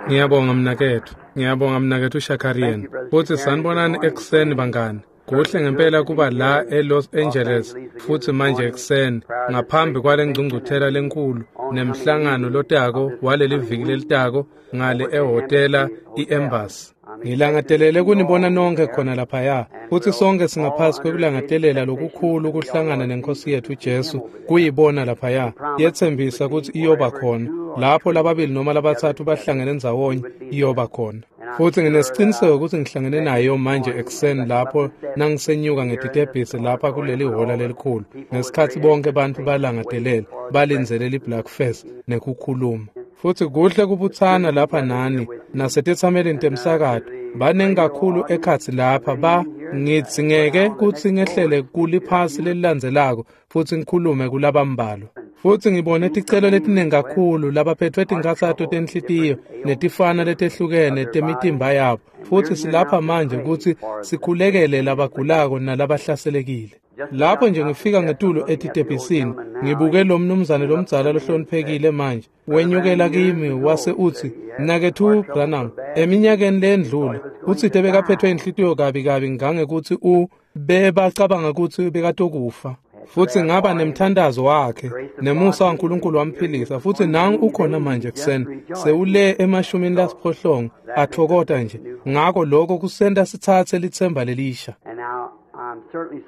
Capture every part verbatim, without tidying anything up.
Ngiyabonga mnaketfu. Ngiyabonga mnaketfu Shakarian. Futsi sanibonani ekuseni bangani. Kuhle ngempela kuba la eLos Angeles futsi manje ekuseni ngaphambi kwale ngcungcuthela lenkulu nemhlangano lotako waleli viki lelitako ngale ehhotela i-Embassy. Ngilangatelele kunibona nonke khona laphaya futsi sonke singaphasi kwekulangadelela lokukhulu kuhlangana nenkosi yetfu Jesu kuyibona laphaya. Yetsembisa kutsi iyoba khona lapho lababili noma labatsatfu bahlangene ndzawonye, iyoba khona. Futsi nginesiciniseko kutsi ngihlangene nayo manje ekuseni lapho nangisenyuka ngetitebhisi lapha kuleli hhola lelikhulu ngesikhatsi bonke bantfu balangadelela balindzele li-Black Face nekukhuluma. Futsi kuhle kubutsana lapha nani nasetetsamelini temsakato. Baningi kakhulu ekhatsi lapha ba ngidzingeke kutsi ngehlele kuliphasi lelilandzelako futsi ngikhulume kulabambalwa. Futsi ngibone ticelo letiningi kakhulu labaphethwe tinkhatsato tenhlitiyo netifana letehlukene temitimba yabo. Futsi silapha manje kutsi sikhulekele labagulako nalabahlaselekile. Lapho nje ngifika ngetulu etitebhisini ngibuke lo mnumzane lomdzala lohloniphekile manje wenyukela kimi wase utsi, "Mnaketfu Branham, eminyakeni lendlule utsite bekaphethwe inhlitiyo kabi kabi ngangekutsi u bebacabanga kutsi bekatokufa." Futsi ngaba nemthandazo wakhe nemusa waNkulunkulu wamphilisa. Futsi nangu ukhona manje ekuseni sewule emashumini lasiphohlongo atfokota nje. Ngako lokho kusenta sitsatse litsemba lelisha.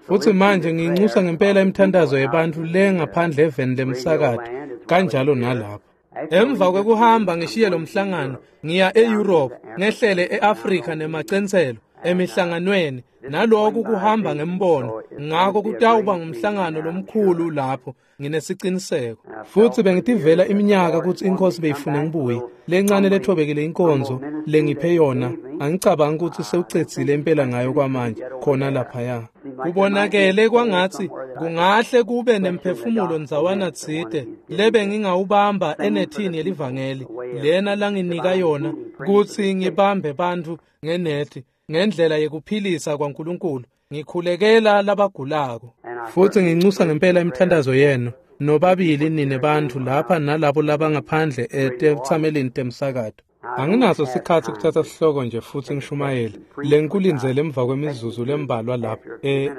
Futsi manje nginxusa ngempela imithandazo yebantfu le ngaphandle eveni lemsakato kanjalo nalapha. Emva kwekuhamba ngishiye lo mhlangano ngiya e-Europe ngehlele e-Afrika nemacentselo emihlanganweni naloku kuhamba ngembono. Ngako kutawuba ngumhlangano lomkhulu lapho, nginesiciniseko. Futsi bengitivela iminyaka kutsi inkosi beyifuna ngibuye. Lencane lethobekile inkonzo lengiphe yona angicabangi kutsi sewucedzile impela ngayo kwamanje khona laphaya. Kubonakele kwangatsi kungahle kube nemphefumulo ndzawana tsite lebe ngingawubamba enethini yelivangeli lena langinika yona kutsi ngibambe bantfu ngenethi ngendlela yekuphilisa kwaNkulunkulu ngikhulekela labagulako. Futsi nginxusa ngempela imithandazo yenu nobabili nine bantfu lapha nalabo labangaphandle etetsamelini temsakato. Anginaso sikhatsi kuthatha sihloko nje futsi ngishumayele lengikulindzele emva kwemizuzu lembalwa lapha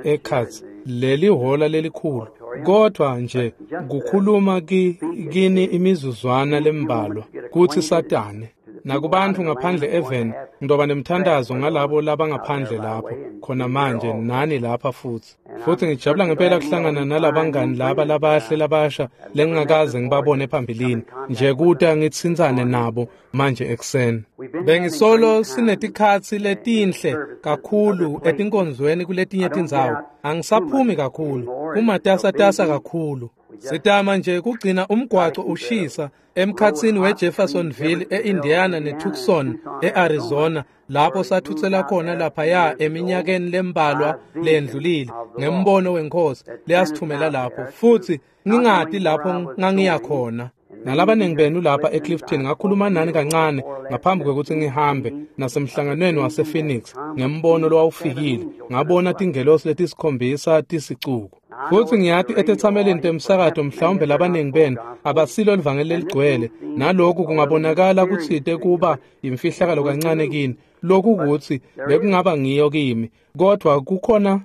ekhatsi leli hhola lelikhulu, kodvwa nje kukhuluma ki, kini imizuzwana lembalwa kutsi satane. Nakubantfu ngaphandle eveni ngidoba nemthandazo ngalabo labangaphandle lapho khona manje nani lapha futsi. Futsi ngijabula ngempela kuhlangana nalabangani laba labahle labasha lengingakaze ngibabone phambilini nje kuta ngitsintsane nabo manje ekuseni. Bengisolo sinetikhatsi letinhle kakhulu etinkonzweni kuletinye tindzawo. Angisaphumi kakhulu, kumatasatasa kakhulu. Sitama nje kugcina umgwaco ushisa emkhatsini weJeffersonville eIndiana neTucson eArizona lapho sathutsela khona laphaya eminyakeni lembalwa lendlulile ngembono wenkosi leyasithumela lapho. Futsi ngingati lapho ngangiya khona. Nalabaningi benu lapha eClifton ngakhuluma nani kancane ngaphambi kwekutsi ngihambe nasemhlanganweni wasePhoenix ngembono lowawufikile ngabona tingelosi letisikhombisa tisicuku. Futsi ngiyati etetsamelini temsakato mhlawumbe labaningi benu abasilo livangeli leligcwele naloku kungabonakala kutsite kuba imfihlakalo kancane kini. Lokhu kutsi bekungaba ngiyo kimi, kodvwa kukhona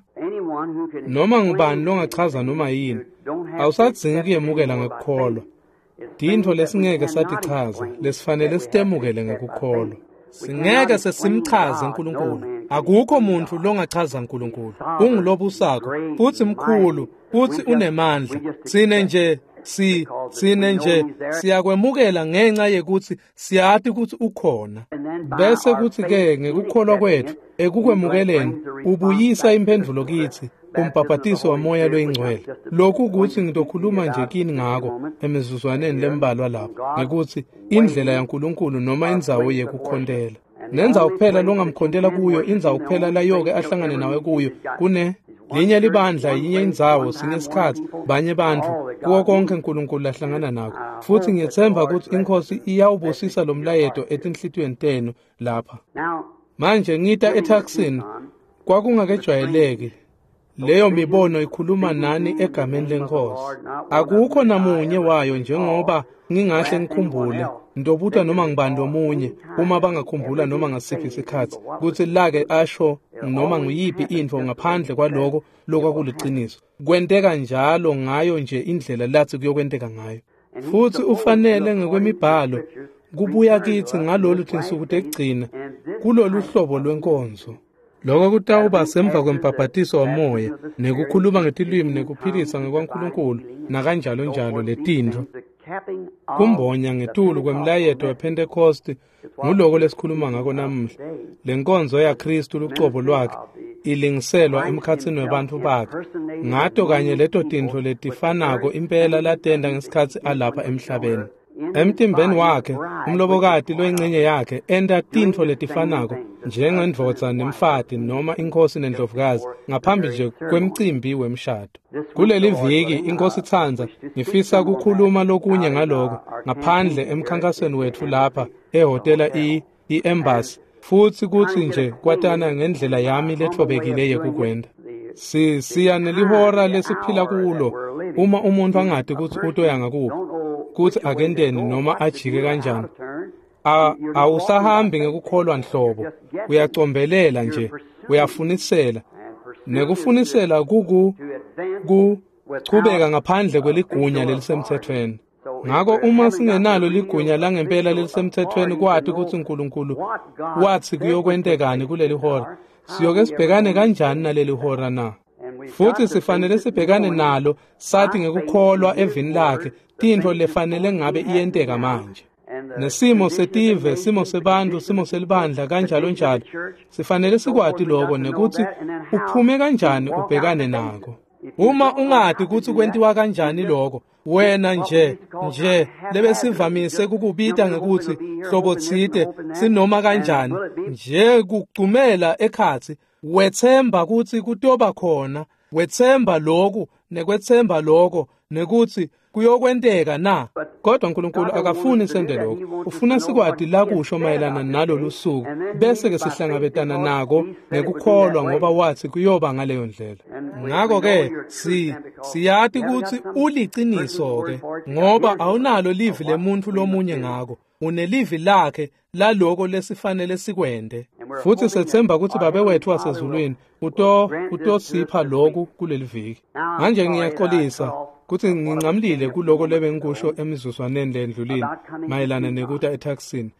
noma ngubani longachaza noma yini. Awusadzingi kuyemukela ngekukholwa. Tintfo lesingeke satichaza lesifanele sitemukele ngekukholwa. Singeke sesimchaze uNkulunkulu. Akukho muntfu longachaza uNkulunkulu. Ungulobusako futsi mkhulu futsi unemandla. Sine nje si sine nje siyakwemukela ngenxa yekutsi siyati kutsi ukhona. Bese kutsi ke ngekukholwa kwetfu ekukwemukeleni ubuyisa imphendvulo kitsi umbhabhatiso wamoya loyingcwele. Lokhu kutsi ngitokhuluma nje kini ngako emizuzwaneni lembalwa lapha ngekutsi indlela yaNkulunkulu noma indzawo yekukhontela. Nendzawo kuphela longamkhontela kuyo, indzawo kuphela layoke ahlangane nawe kuyo kune linye libandla, yinye indzawo, sinye isikhatsi, banye bantfu kuwo konke uNkulunkulu lahlangana nako. Futsi ngiyetsemba kutsi inkosi iyawubusisa lo mlayeto etinhlitiyweni tenu lapha. Manje ngita eTucson kwakungakejwayeleki. Leyo mibono ikhuluma nani egameni lenkosi. Akukho namunye wayo njengoba ngingahle ngikhumbule Ntobuta noma ngibani lomunye uma bangakhumbula noma ngasiphi isikhatsi kutsi lake asho noma nguyiphi intfo ngaphandle kwaloko lokwakuliciniso. Kwenteka njalo ngayo nje indlela latsi kuyokwenteka ngayo. Futsi ufanele ngekwemibhalo kubuya kitsi ngalolu tinsuku tekugcina kulolu hlobo lwenkonzo. Lokho kutawuba semva kwembhabhatiso wamoya nekukhuluma ngetilwimi nekuphilisa ngekwaNkulunkulu nakanjalo njalo letintfo. Kumbonya ngetulu kwemlayeto wePhentekosti nguloko lesikhuluma ngako namuhla. Lenkonzo yaKristu lucobo lwakhe ilingiselwa emkhatsini webantfu bakhe ngato kanye leto tintfo letifanako impela latenta ngesikhatsi alapha emhlabeni. Emtimbeni wakhe umlobokati loyingcenye yakhe enta tintfo letifanako njengendvodza nemfati noma inkosi nendlovukazi ngaphambi nje kwemcimbi wemshado. Kuleli viki inkosi itsandza ngifisa kukhuluma lokunye ngaloko ngaphandle emkhankasweni wetfu lapha ehhotela i-Embassy futsi kutsi nje kwatana ngendlela yami letfobekile yekukwenta. Si siya nelihora lesiphila kulo uma umuntu angati kutsi utoya ngakuphi kutsi akenteni noma ajike kanjani. Awusahambi ngekukholwa nhlobo, uyacombelela nje, uyafunisela. Nekufunisela kuku kuchubeka ngaphandle kweligunya lelisemthethweni. Ngako uma singenalo ligunya langempela lelisemthethweni kwati kutsi uNkulunkulu watsi kuyokwentekani kuleli hora, siyoke sibhekane kanjani naleli hora na? Futsi sifanele sibhekane nalo sathi ngekukholwa evini lakhe tintfo lefanele ngabe iyenteka manje. Nesimo setive, simo sebantu, simo selibandla kanjalo njalo. Sifanele sikwati lokho nekutsi uphume kanjani ubhekane nako. Uma ungati kutsi kwentiwa kanjani lokho, wena nje nje lebesivamise kukubita ngekutsi hlobo tsite sinoma kanjani nje kugcumela ekhatsi wetsemba kutsi kutoba khona, wetsemba lokhu nekwetsemba lokho nekutsi kuyokwenteka na. Kodwa uNkulunkulu akafuni sende lokho, ufuna sikwati la kusho mayelana nalolu suku bese ke sihlangabetana nako ngekukholwa ngoba wathi kuyoba ngaleyo ndlela. Ngakho ke si siyati kutsi uliciniso ke ngoba awunalo livi lemuntu lomunye ngako, unelivi lakhe laloko lesifanele sikwente. Futsi sethemba kutsi Babe wethu wasezulwini uto utosipha lokhu kuleli viki. Manje ngiyaxolisa kutsi ngincamlile kuloko lebengikusho emizuzwaneni lendlulile mayelana nekuta etaxini.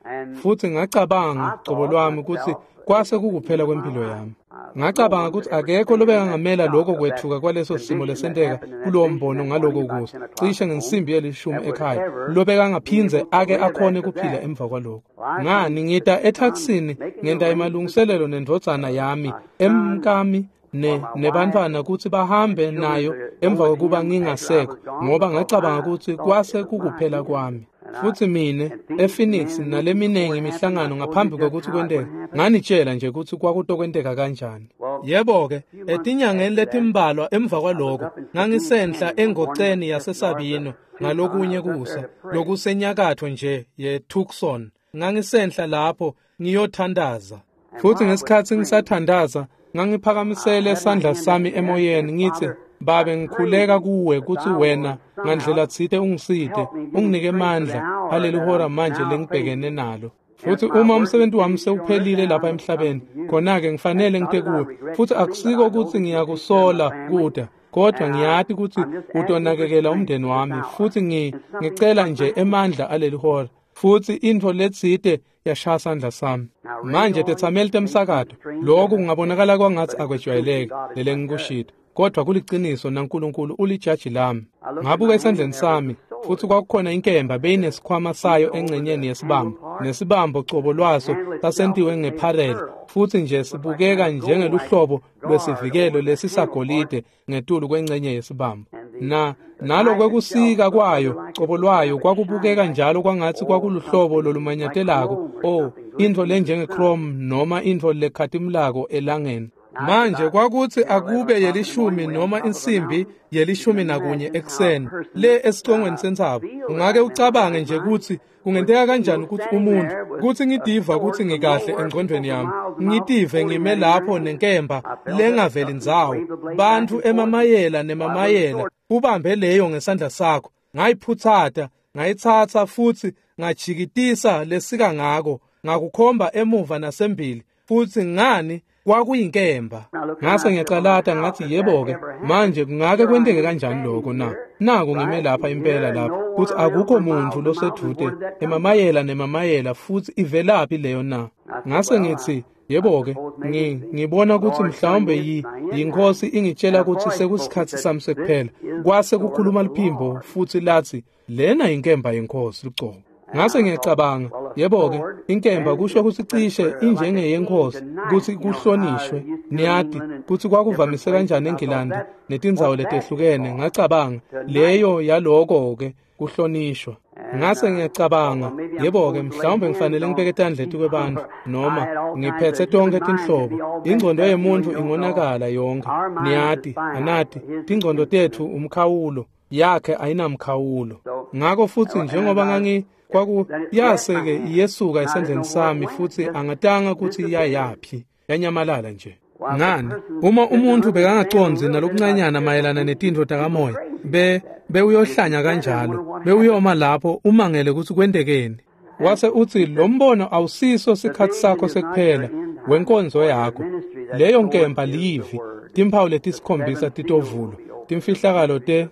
Futsi ngacabanga cobo lwami kutsi kwase kukuphela kwempilo yami. Ngacabanga kutsi akekho lobekangamela lokho kwethuka kwaleso simo lesenteka kulowo mbono ngaloko kusa cishe ngensimbi yelishumi ekhaya lobekangaphindze ake akhone kuphila emva kwaloko. Ngani ngita etaxini ngenta emalungiselelo nendvodzana yami emkami ne nebantwana kutsi bahambe nayo emva kokuba ngingasekho ngoba ngacabanga kutsi kwase kukuphela kwami. Futsi mine ePhoenix naleminengi imihlangano ngaphambi kwekutsi kwenteke nganitshela nje kutsi kwakutokwenteka kanjani. Yebo ke etinyangeni letimbalwa emva kwaloko ngangisenhla engoceni yaseSabino ngalokunye kusa lokusenyakatho nje yeTucson. Ngangisenhla lapho ngiyothandaza. Futsi ngesikhatsi ngisathandaza ngangiphakamisele sandla sami emoyeni ngitsi, Babe ngikhuleka kuwe kutsi wena ngandlela tsite ungisite unginike emandla aleli hora manje lengibhekene nalo. Futsi uma umsebenzi wami sewuphelile lapha emhlabeni khona-ke ngifanele ngite kuwe. Futsi akusiko kutsi ngiyakusola kuda, kodwa ngiyati kutsi utonakekela umndeni wami. Futsi ngicela nje emandla aleli hora. Futsi intfo letsite yashaya sandla sami. Manje tetsameli temsakato, lokhu kungabonakala kwangatsi akwejwayeleki lelengikushito, kodwa kuliciniso naNkulunkulu ulijaji lami. Ngabuka esandleni sami futsi kwakukhona inkemba beyinesikhwama sayo engcenyeni yesibambo, nesibambo cobo lwaso sasentiwe ngepharele futsi nje sibukeka njengeluhlobo lwesivikelo lesisagolide ngetulu kwengcenye yesibambo. Na nalo kwekusika kwayo cobo lwayo kwakubukeka njalo kwangatsi kwakuluhlobo lolumanyatelako, oh intfo lenjenge-chrome noma intfo lekhatimulako elangeni. Manje kwakutsi akube yelishumi noma insimbi yelishumi nakunye ekuseni le esicongweni sentsaba. Ungake ucabange nje kutsi kungenteka kanjani kutsi umuntu kutsi ngitiva kutsi ngikahle engcondvweni yami, ngitive ngime lapho nenkemba lengaveli ndzawo, bantfu emamayela nemamayela, ubambe leyo ngesandla sakho. Ngayiphutsata, ngayitsatsa futsi ngajikitisa lesika ngako, ngakukhomba emuva nasembili, futsi ngani kwakuyinkemba. Ngase ngiyacalata ngathi, yebo-ke, manje kungake kwenteke kanjani lokho na? Naku ngime lapha impela lapha, kutsi akukho muntfu losedvute emamayela nemamayela, futsi ivelaphi leyo na? Ngase ngitsi, yebo-ke, ngi ngibona kutsi mhlawumbe yi yiNkhosi ingitshela kutsi sekusikhatsi sami sekuphela. Kwase kukhuluma liphimbo futsi latsi, lena yinkemba yeNkhosi lucobo. Ngase ngiyacabanga, yebo-ke, inkemba kusho kutsi cishe injengeyenkhosi, kutsi kuhlonishwe. Niyati kutsi kwakuvamise kanjani eNgilandi netindzawo letehlukene. Ngacabanga, leyo yaloko-ke kuhlonishwa. Ngase ngiyacabanga, yebo-ke, mhlawumbe ngifanele ngibeke tandla etikwebantfu, noma ngiphetse tonkhe tinhlobo. Ingcondo yemuntfu ingonakala yonkhe. Niyati, anati, tingcondo tetfu umkhawulo, yakhe ayinamkhawulo. Ngako futsi njengoba ngangi kwaku yase-ke iyesuka esandleni sami, futsi angatanga kutsi yayaphi, yanyamalala nje. Ngani, uma umuntfu bekangacondzi nalokuncanyana mayelana netintfo takamoya, be bewuyohlanya kanjalo, bewuyoma lapho umangele kutsi kwentekeni. Wase utsi, lo mbono awusiso sikhatsi sakho sekuphela wenkonzo yakho. Leyo nkemba livi, timphawu letisikhombisa titovulwa, timfihlakalo te.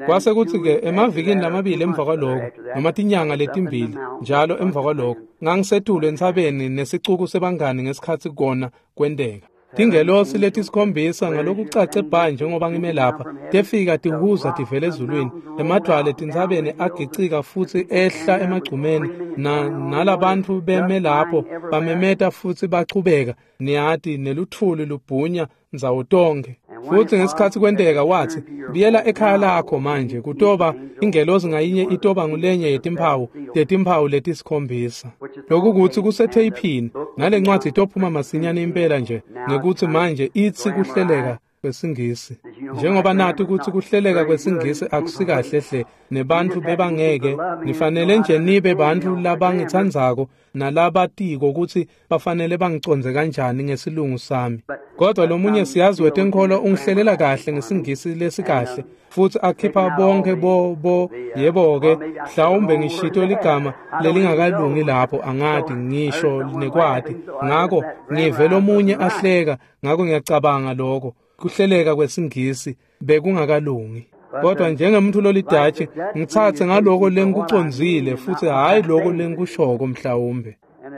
Kwase kutsi-ke emavikini lamabili emva kwaloko, noma tinyanga letimbili njalo emva kwaloko, ngangisetulu entsabeni nesicuku sebangani ngesikhatsi kona kwenteka. Tingelosi letisikhombisa ngalokucace bha njengoba ngime lapha, tefika tihuza tivela ezulwini, emadvwala etintsabeni agicika futsi ehla emagcumeni, na nalabantfu beme lapho bamemeta futsi bachubeka, niyati, nelutfuli lubhunya ndzawo tonkhe. Futsi ngesikhatsi kwenteka watsi, buyela ekhaya lakho manje, kutoba ingelosi ngayinye itoba ngulenye yetimphawu tetimphawu letisikhombisa. Lokhu kutsi kusetheyiphini, nalencwadzi itophuma masinyane impela nje, ngekutsi manje itsi kuhleleka kwesiNgisi. Njengoba nati kutsi kuhleleka kwesiNgisi akusikahle hle, nebantfu bebangeke, nifanele nje nibe bantfu labangitsandzako nalabatiko kutsi bafanele bangicondze kanjani ngesilungu sami. Kodwa lomunye siyazi wetenkholo ungihlelela kahle ngesiNgisi lesikahle, futsi akhipha bonke bo bo yebo-ke, mhlawumbe ngishito ligama lelingakalungi lapho, angati ngisho nekwati. Ngako ngive lomunye ahleka, ngako ngiyacabanga lokho kuhleleka kwesiNgisi bekungakalungi. Kodwa njengemuntu lolidatshi, ngitsatse ngaloko lengikucondzile futsi hhayi loko lengikushoko mhlawumbe.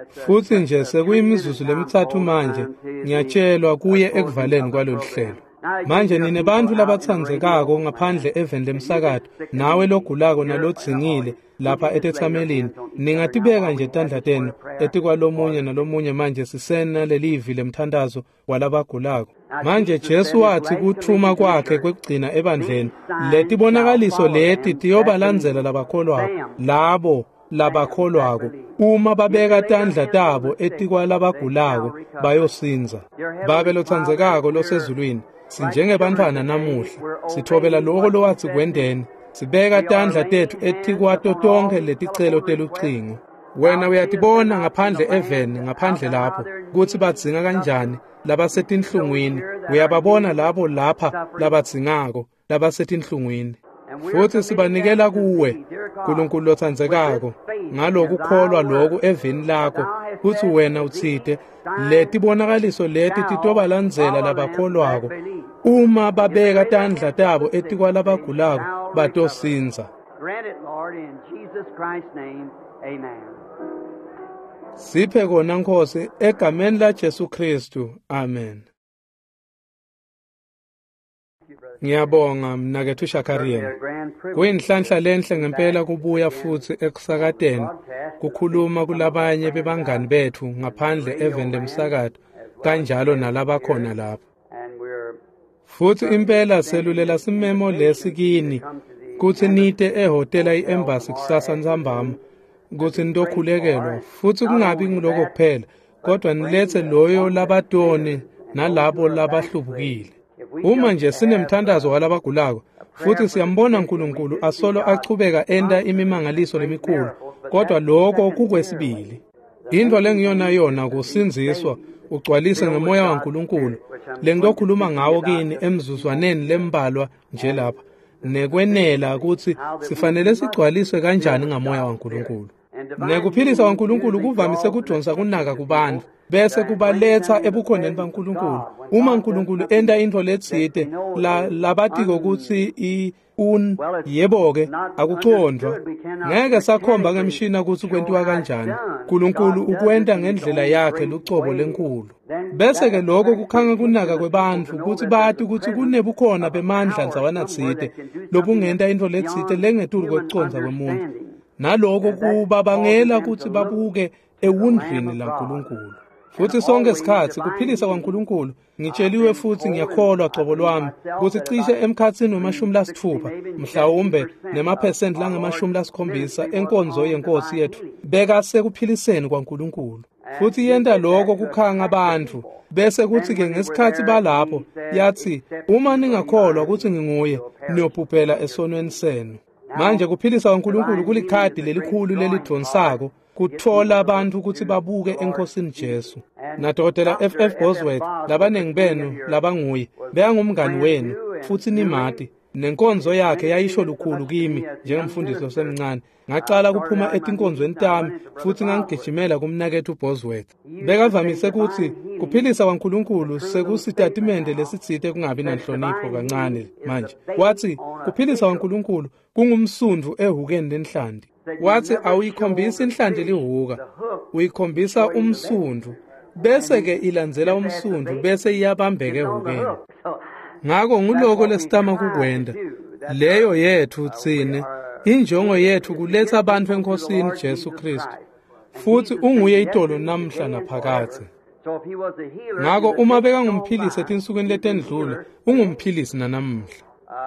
Futsi nje sekuyimizuzu lemitsatfu manje, ngiyatshelwa kuye ekuvaleni kwalolu hlelo. Manje nine bantfu labatsandzekako ngaphandle eveni lemsakato, nawe logulako nalodzingile lapha etetsamelini, ningatibeka nje tandla tenu etikwalomunye nalomunye manje sisena lelivi lemthandazo walabagulako. Manje Jesu wathi kuthuma kwakhe kwekugcina ebandleni, letibonakaliso leti tiyobalandzela labakholwako, labo labakholwako, uma babeka tandla tabo etikwalabagulako bayosindza. Babe lotsandzekako losezulwini, sinjengebantfwana namuhla, sithobela loko lowatsi kwenteni, sibeka tandla tetfu etikwato tonkhe leticelo telucingo. Wena uyatibona ngaphandle eveni, ngaphandle lapho, kutsi badzinga kanjani labasetinhlungwini. Uyababona labo lapha labadzingako labasetinhlungwini. Futsi sibanikela kuwe, Nkulunkulu lotsandzekako, ngalokukholwa loku evini lakho, kutsi wena utsite letibonakaliso leti titobalandzela labakholwako, uma babeka tandla tabo etikwalabagulako batosindza. Siphe kona Nkosi, egameni la Jesu Kristu. Amen. Ngiyabonga mnaketfu Shakarian. Kuyinhlanhla lenhle ngempela kubuya futsi ekusakateni, kukhuluma kulabanye bebangani betfu ngaphandle eveni lemsakato, kanjalo nalabakhona lapha. Futsi impela selulela simemo lesi kini kutsi nite ehhotela i-Embassy kusasa ntsambama, kutsi nitokhulekelwa, futsi kungabi nguloko kuphela, kodwa niletse loyo labatoni nalabo labahlubukile. Uma nje sinemthandazo walabagulako, futhi siyambona uNkulunkulu asolo achubeka enta imimangaliso lemikhulu, kodwa lokho kukwesibili. Into lengiyona yona kusindziswa, ugcwalise ngemoya waNkulunkulu, lengitokhuluma ngawo kini emzuzwaneni lembalwa nje lapha, nekwenela kutsi sifanele sigcwaliswe kanjani ngamoya waNkulunkulu. Nekuphilisa kwaNkulunkulu kuvamise kudonsa kunaka kubantfu bese kubaletsa ebukhoneni baNkulunkulu. Uma uNkulunkulu enta intfo letsite la labatiko kutsi i un yebo-ke akucondvwa, ngeke sakhomba ngemshina kutsi kwentiwa kanjani. uNkulunkulu ukwenta ngendlela yakhe lucobo lenkulu. Bese-ke lokho kukhanga kunaka kwebantfu kutsi bati kutsi kunebukhona bemandla ndzawanatsite lobungenta intfo letsite lengetulu kwekucondza kwemuntfu, naloko kubabangela kutsi babuke ewundlwini laNkulunkulu. Futsi sonke sikhatsi kuphilisa kwaNkulunkulu, ngitsheliwe futhi ngiyakholwa cobo lwami kutsi cishe emkhatsini wemashumi lasitfupha mhlawumbe nemaphesenti langemashumi lasikhombisa enkonzo yenkosi yetfu bekasekuphiliseni kwaNkulunkulu. Futhi yenta lokho kukhanga bantfu. Bese kuthi-ke ngesikhatsi balapho yathi, uma ningakholwa kutsi nginguye, niyobhubhela esonweni senu. Manje kuphilisa kwaNkulunkulu kulikhadi lelikhulu lelidvonsako kutfola bantfu kutsi babuke eNkhosini Jesu. NaDokotela F F Bosworth, labanengi benu labanguye, bekangumngani wenu futsi nimati. Nenkonzo yakhe yayisho lukhulu kimi njengemfundisi losemncane. Ngacala kuphuma etinkonzweni tami futsi ngangigijimela kumnaketfu Bosworth. Bekavamise kutsi kuphilisa kwaNkulunkulu sekusitatimende lesitsite kungabi nanhlonipho kancane manje. Watsi kuphilisa kwaNkulunkulu kungumsundvu ehhukeni lenhlanti. Watsi awuyikhombisi inhlanti lihuka, uyikhombisa umsundvu, bese-ke ilandzela umsundvu bese iyabambeka ehhukeni. Ngako nguloko lesitama kukwenta. Leyo yetfu tsine, injongo yetfu kuletsa bantfu eNkhosini Jesu Khristu. Futsi unguye itolo namhla naphakadze. Ngako uma bekangumphilisi etinsukwini letendlula, ungumphilisi nanamhla.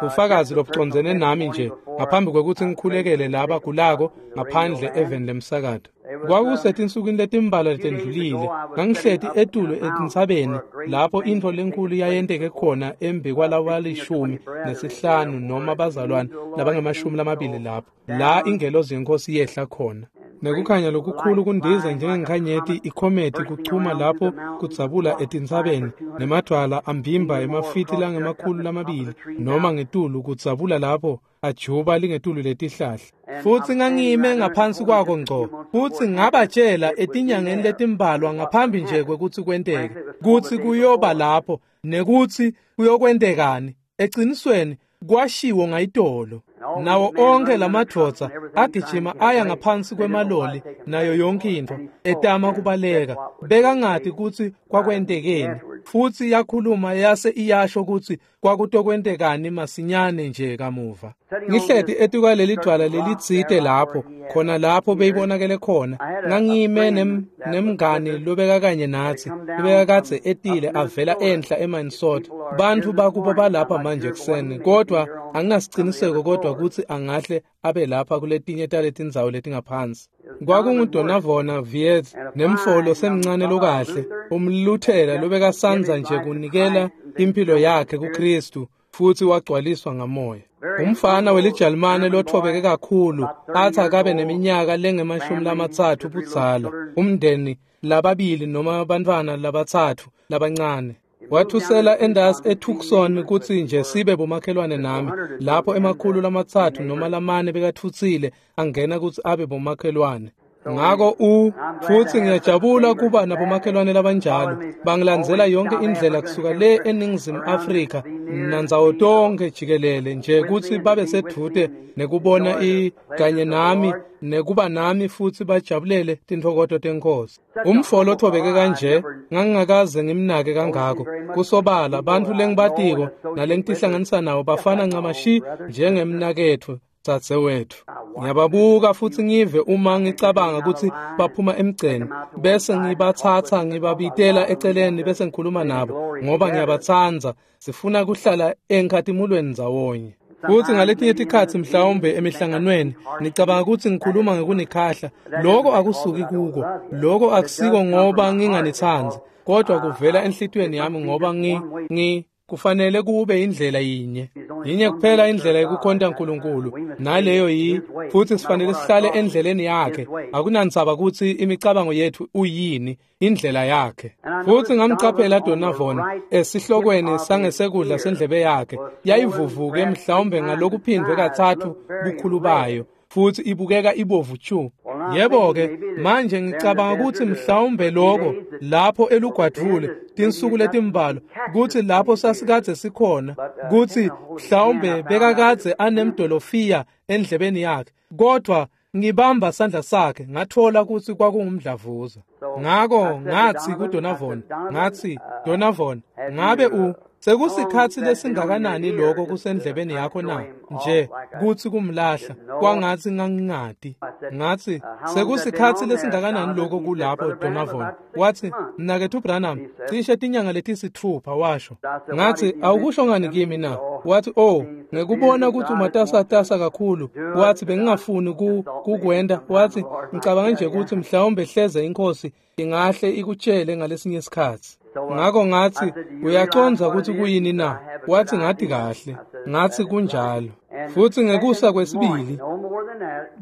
Ufakazi lobucondzene nami nje ngaphambi kwekutsi ngikhulekele laba gulako ngaphandle eveni lemsakato. Kwakusetinsukwini letimbalwa letendlulile, ngangihleti etulu etintsabeni lapho intfo lenkulu yayenteke khona embi kwalabalishumi nesihlanu noma bazalwane labangemashumi lamabili lapho, la ingelozi yenkosi yehla khona. Nekukhanya lokukhulu kundiza njengenkhanyeti ikhometi kuchuma lapho kudzabula etintsabeni, nemadvwala ambimba emafiti langemakhulu lamabili noma ngetulu kudzabula lapho ajuba lingetulu letihlahla. Futsi ngangime ngaphansi kwako ngco, futsi ngabatshela etinyangeni letimbalwa ngaphambi nje kwekutsi kwenteke kutsi kuyoba lapho nekutsi kuyokwentekani. Ecinisweni kwashiwo ngayitolo. Nawo onke lamadvodza agijima aya ngaphansi kwemaloli nayo yonke intfo etama kubaleka. Bekangati kutsi kwakwentekeni. Futsi yakhuluma yase iyasho kutsi kwakutokwentekani masinyane nje kamuva. Ngihleti etikwaleli dvwala lelitsite lapho, khona lapho beyibonakele khona. Ngangime nem, nemngani lobeka kanye natsi, lobekakadze etile avela enhla eMinnesota. Bantfu bakubo balapha manje ekuseni, kodwa anginasiciniseko kodwa kutsi angahle abe lapha kuletinye taletindzawo letingaphansi. KwakunguDonavona Viet nemfolo semncane lokahle, umluthela lobekasandza nje kunikela impilo yakhe kuKristu futsi wagcwaliswa ngamoya. Umfana welijalimane lothobeke kakhulu, athi akabe neminyaka lengemashumi lamatsatfu budzala, umndeni lababili noma bantfwana labatsatfu labancane. Wathusela endasi eTucson kutsi nje sibe bomakhelwane nami, lapho emakhulu lamatsatfu noma lamane bekatfutsile angena kutsi abe bomakhelwane. Ngako u futsi ngiyajabula kuba nabomakhelwane labanjalo, bangilandzela yonke indlela kusuka le eNingizimu Afrika nandzawo tonke jikelele nje kutsi babe sedvute nekubona i kanye nami nekuba nami futsi bajabulele tintfokoto tenkosi. Umfolo othobeke kanje ngangingakaze ngimnake kangako. Kusobala bantfu lengibatiko nalengitihlanganisa nabo bafana ncamashi njengemnaketfu dzadzewetfu. Ngiyababuka futsi ngive uma ngicabanga kutsi baphuma emgceni, bese ngibatsatsa ngibabitela eceleni bese ngikhuluma nabo ngoba ngiyabatsandza. Sifuna kuhlala enkhatimulweni ndzawonye. Futsi ngaletinye tikhatsi mhlawumbe emihlanganweni nicabanga kutsi ngikhuluma ngekunikhahla. Loko akusuki kuko. Loko akusiko ngoba nginganitsandzi, kodwa kuvela enhlitiyweni yami ngoba ngi ngi kufanele kube indlela yinye. Yinye kuphela indlela yekukhonta uNkulunkulu, naleyo yi futsi sifanele sihlale endleleni yakhe. Akunandzaba kutsi imicabango yethu uyini, indlela yakhe. Futsi ngamcaphela Donavon esihlokweni sangesekudla sendlebe yakhe, yayivuvuke mhlawumbe ngalokuphindwe katsatfu bukhulu bayo. Futhi ibukeka ibovu chu. Yebo-ke, manje ngicabanga ukuthi mhlawumbe lokho lapho elugwadvule tinsuku letimbalwa kutsi lapho sasikadze sikhona kutsi mhlawumbe bekakadze anemdolofiya endlebeni yakhe, kodwa ngibamba sandla sakhe ngathola kutsi kwakungumdlavuza. Ngako ngatsi kuDonavon, ngatsi, Donavon, ngabe u sekusikhatsi lesingakanani lokho kusendlebeni yakho na? Nje kutsi kumlahla kwangatsi ngangingati. Ngatsi sekusikhatsi lesingakanani lokho kulapho Donavon? Watsi, mnaketfu Branham, cishe tinyanga letisitfupha, washo. Ngatsi, awukusho ngani kimi na? Watsi, oh, ngekubona kutsi umatasatasa kakhulu, watsi bengingafuni ku kukwenta. Watsi, ngicabanga nje kutsi mhlawumbe hleze inkosi ingahle ikutshele ngalesinye isikhatsi. Ngako ngatsi, uyacondza kutsi kuyini na? Watsi, ngati kahle. Ngatsi, kunjalo. Futsi ngekusa kwesibili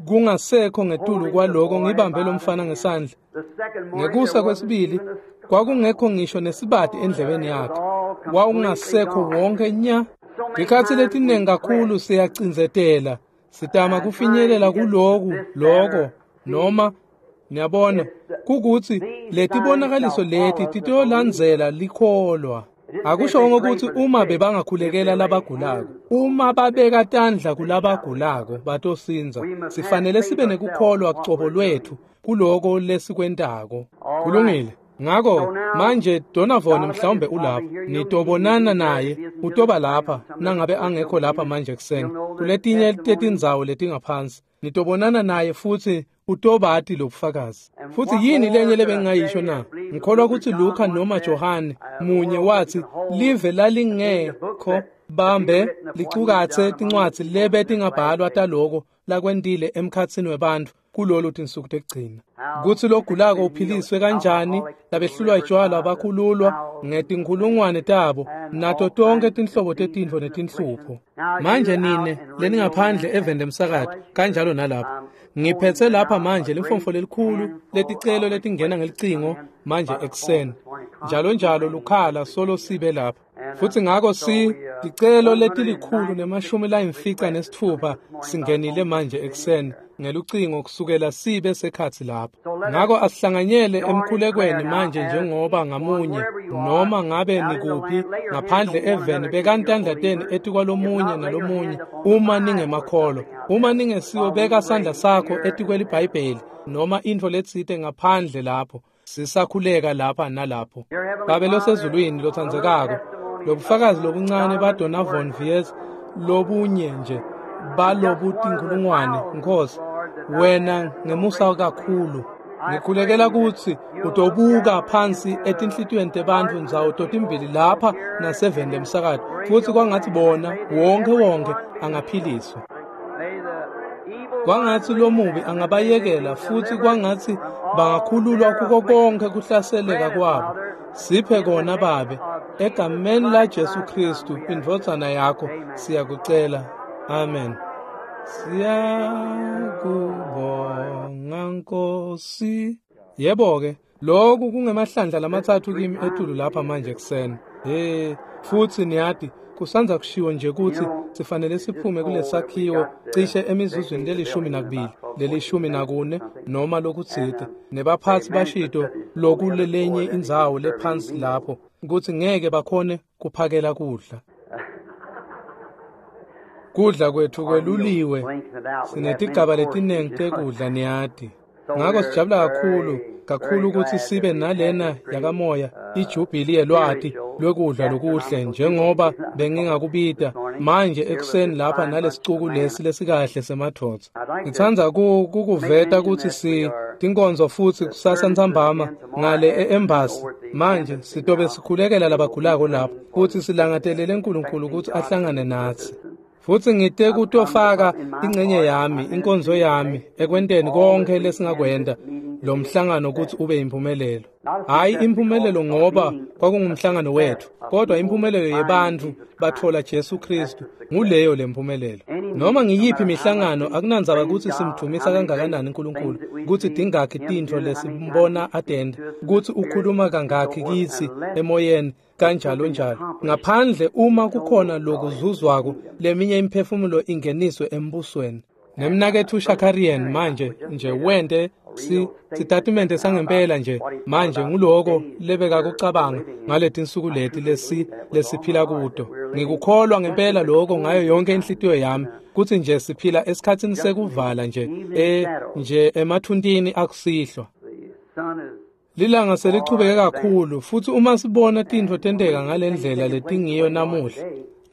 kungasekho ngetulu kwaloko ngibambe lo mfana ngesandla. Ngekusa kwesibili kwakungekho ngisho nesibati endlebeni yakhe. Wawungasekho wonke nya. Tikhatsi letiningi kakhulu siyacindzetela, sitama kufinyelela kuloku loko noma niyabona kukutsi letibonakaliso leti titolandzela likholwa. Akushongo kutsi uma bebangakhulekela labagulako, uma babeka tandla kulabagulako batosindza. Sifanele sibe nekukholwa cobo lwethu kuloko lesikwentako. Kulungile. Ngako manje Donavon mhlawumbe ulapha, nitobonana naye, utoba lapha nangabe angekho lapha manje kuseni kuletinye tetindzawo letingaphansi. Nitobonana naye futhi utobati lobufakazi. Futhi yini lenye lebengingayisho na? Ngikholwa ukuthi Luka noma Johane munye wathi live lalingekho bambe licukatse tincwadzi lebe tingabhalwa taloko lakwentile emkhatsini webantfu kulolu tinsuku tekugcina. Kutsi logulako uphiliswe kanjani, labehlulwa tjwala bakhululwa ngetinkhulungwane tabo, nato tonke tinhlobo tetintfo netinhlupho. Manje nine leningaphandle eveni lemsakato kanjalo nalapha, ngiphetse lapha manje limfomfo lelikhulu leticelo letingena ngelicingo manje ekuseni njalo njalo lukhala solo sibe lapha. Futhi ngako si ticelo letilikhulu nemashumi layimfica nesitfupha singenile manje ekuseni ngelucingo kusukela sibe sekhatsi lapha. Ngako asihlanganyele emkhulekweni manje njengoba ngamunye noma ngabe nikuphi ngaphandle eveni bekani tandla tenu etikwalomunye nalomunye uma ningemakholwa. Uma ningesiwo beka sandla sakho etikweliBhayibheli noma intfo letsite ngaphandle lapho. Sisakhuleka lapha nalapho. Babe losezulwini lotsandzekako, lobufakazi lobuncane baDonavon Vies lobunye nje balobutinkhulungwane, Nkosi, wena ngemusa kakhulu ngikhulekela kutsi utobuka phansi etinhlitiyweni tebantfu ndzawo totimbili lapha naseveni lemsakato, futsi kwangatsi bona wonke wonke angaphiliswa. Kwangatsi lomubi angabayekela futsi kwangatsi bangakhululwa kuko konke kuhlaseleka kwabo. Siphe kona Babe, egameni la Jesu Kristu indvodzana yakho siyakucela. Amen. Siyakubonga Nkosi. Yebo-ke, lokhu kungemahlandla lamatsatfu kimi etulu lapha manje ekuseni. Hey, futsi niyati kusanza kushiwo nje kutsi sifanele siphume kulesakhiwo cishe emizuzwini lelishumi nakubili, lelishumi nakune noma lokutsite. Nebaphatsi bashito lokulelenye indzawo lephansi lapho kutsi ngeke bakhone kuphakela kudla. Kudla kwethu kweluliwe, sinetigaba letiningi tekudla niyati. Ngako sijabula kakhulu kakhulu ukuthi sibe nalena yakamoya ijubili yelwati lwekudla lokuhle njengoba bengingakubita manje ekuseni lapha nalesicuku lesi lesikahle semadvodza. Ngitsandza kukuveta kutsi si tinkonzo futsi kusasa ntsambama ngale e-embassy manje sitobe sikhulekela labagulako lapho futsi silangatelele uNkulunkulu ukuthi ahlangane natsi. Futsi ngite kutofaka ingcenye yami, inkonzo yami ekwenteni konke lesingakwenta lo mhlangano ukuthi ube impumelelo. Hayi impumelelo ngoba kwakungumhlangano wethu, kodwa impumelelo yebantfu batfola Jesu Kristu, nguleyo lempumelelo. Noma ngiyiphi imihlangano akunandzaba kutsi simdvumisa kangakanani uNkulunkulu, kutsi tingakhi tintfo lesimbona atenta, kutsi ukhuluma kangakhi kitsi emoyeni kanjalo njalo. Ngaphandle uma kukhona lokuzuzwako, leminye imiphefumulo ingeniswe embusweni. Nemnaketfu Shakarian manje nje wente si sitatimende sangempela nje manje nguloko lebekakucabanga ngaletinsuku leti lesi lesiphila kuto. Ngikukholwa ngempela lokho ngayo yonke inhlitiyo yami kutsi nje siphila esikhatsini sekuvala nje e nje emathuntini akusihlwa. Lilanga selichubeke kakhulu futsi uma sibona tintfo tenteka ngalendlela letingiyo namuhla,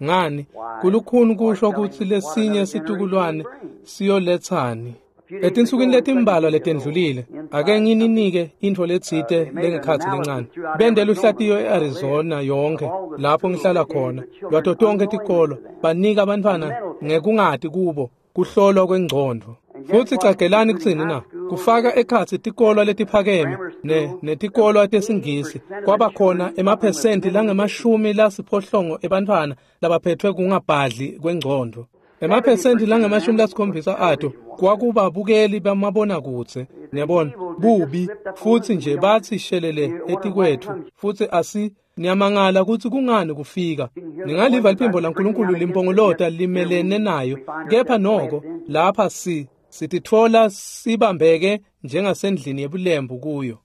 ngani kulukhuni kusho kutsi lesinye situkulwane siyoletsani. Etinsukwini letimbalwa letendlulile, ake ngininike intfo letsite lengekhatsi lencane. Bente luhlatiyo e-Arizona yonke lapho ngihlala khona, lwato tonkhe tikolo, banika bantfwana ngekungati kubo kuhlolwa kwengcondvo. Futsi cagelani kutsini na? Kufaka ekhatsi tikolwa letiphakeme ne netikolwa tesingisi kwaba khona emaphesenti langemashumi lasiphohlongo ebantfwana labaphethwe kungabhadli kwengcondvo. Emaphesenti langemashumi lasikhombisa ato kwakubabukeli bamabonakudze, niyabona, bubi futsi nje batsi shelele etikwetfu futsi asi niyamangala kutsi kungani kufika. Ningaliva liphimbo laNkulunkulu limpongolota limelene nayo, kepha noko lapha si sititfola sibambeke njengasendlini yebulembu kuyo.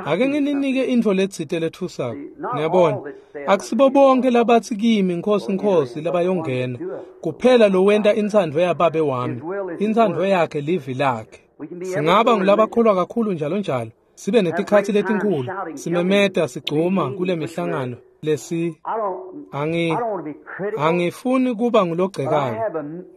Ake ngininike intfo letsite lethusako. Niyabona, akusibo bonke labatsi kimi Nkhosi Nkhosi labayongena, kuphela lowenta intsandvo yaBabe wami. Intsandvo yakhe livi lakhe. Singaba ngulabakholwa kakhulu njalo njalo, sibe netikhatsi letinkhulu, simemeta sigcuma kule mihlangano lesi angi angifuni kuba ngulogcekayo,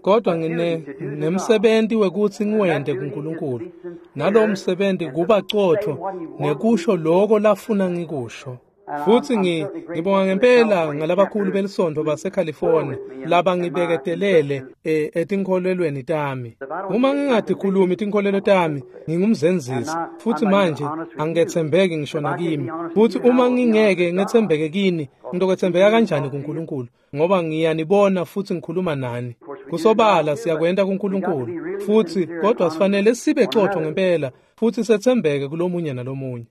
kodwa ngine nemsebenti wekutsi ngiwente kuNkulunkulu. Nalowo msebenti kuba cotfo nekusho loko lafuna ngikusho. Futsi ngi ngibonga ngempela ngalabakhulu belisonto baseCalifornia labangibeketelele e, etinkholelweni tami. Uma ngingatikhulumi tinkholelo tami, ngingumzenzisi futsi manje angiketsembeki ngisho nakimi. Futsi uma ngingeke ngetsembeke kini, ngitokwetsembeka kanjani kuNkulunkulu? Ngoba ngiyanibona futsi ngikhuluma nani. Kusobala siyakwenta kuNkulunkulu futsi, kodwa sifanele sibe cotfo ngempela futsi setsembeke kulomunye nalomunye.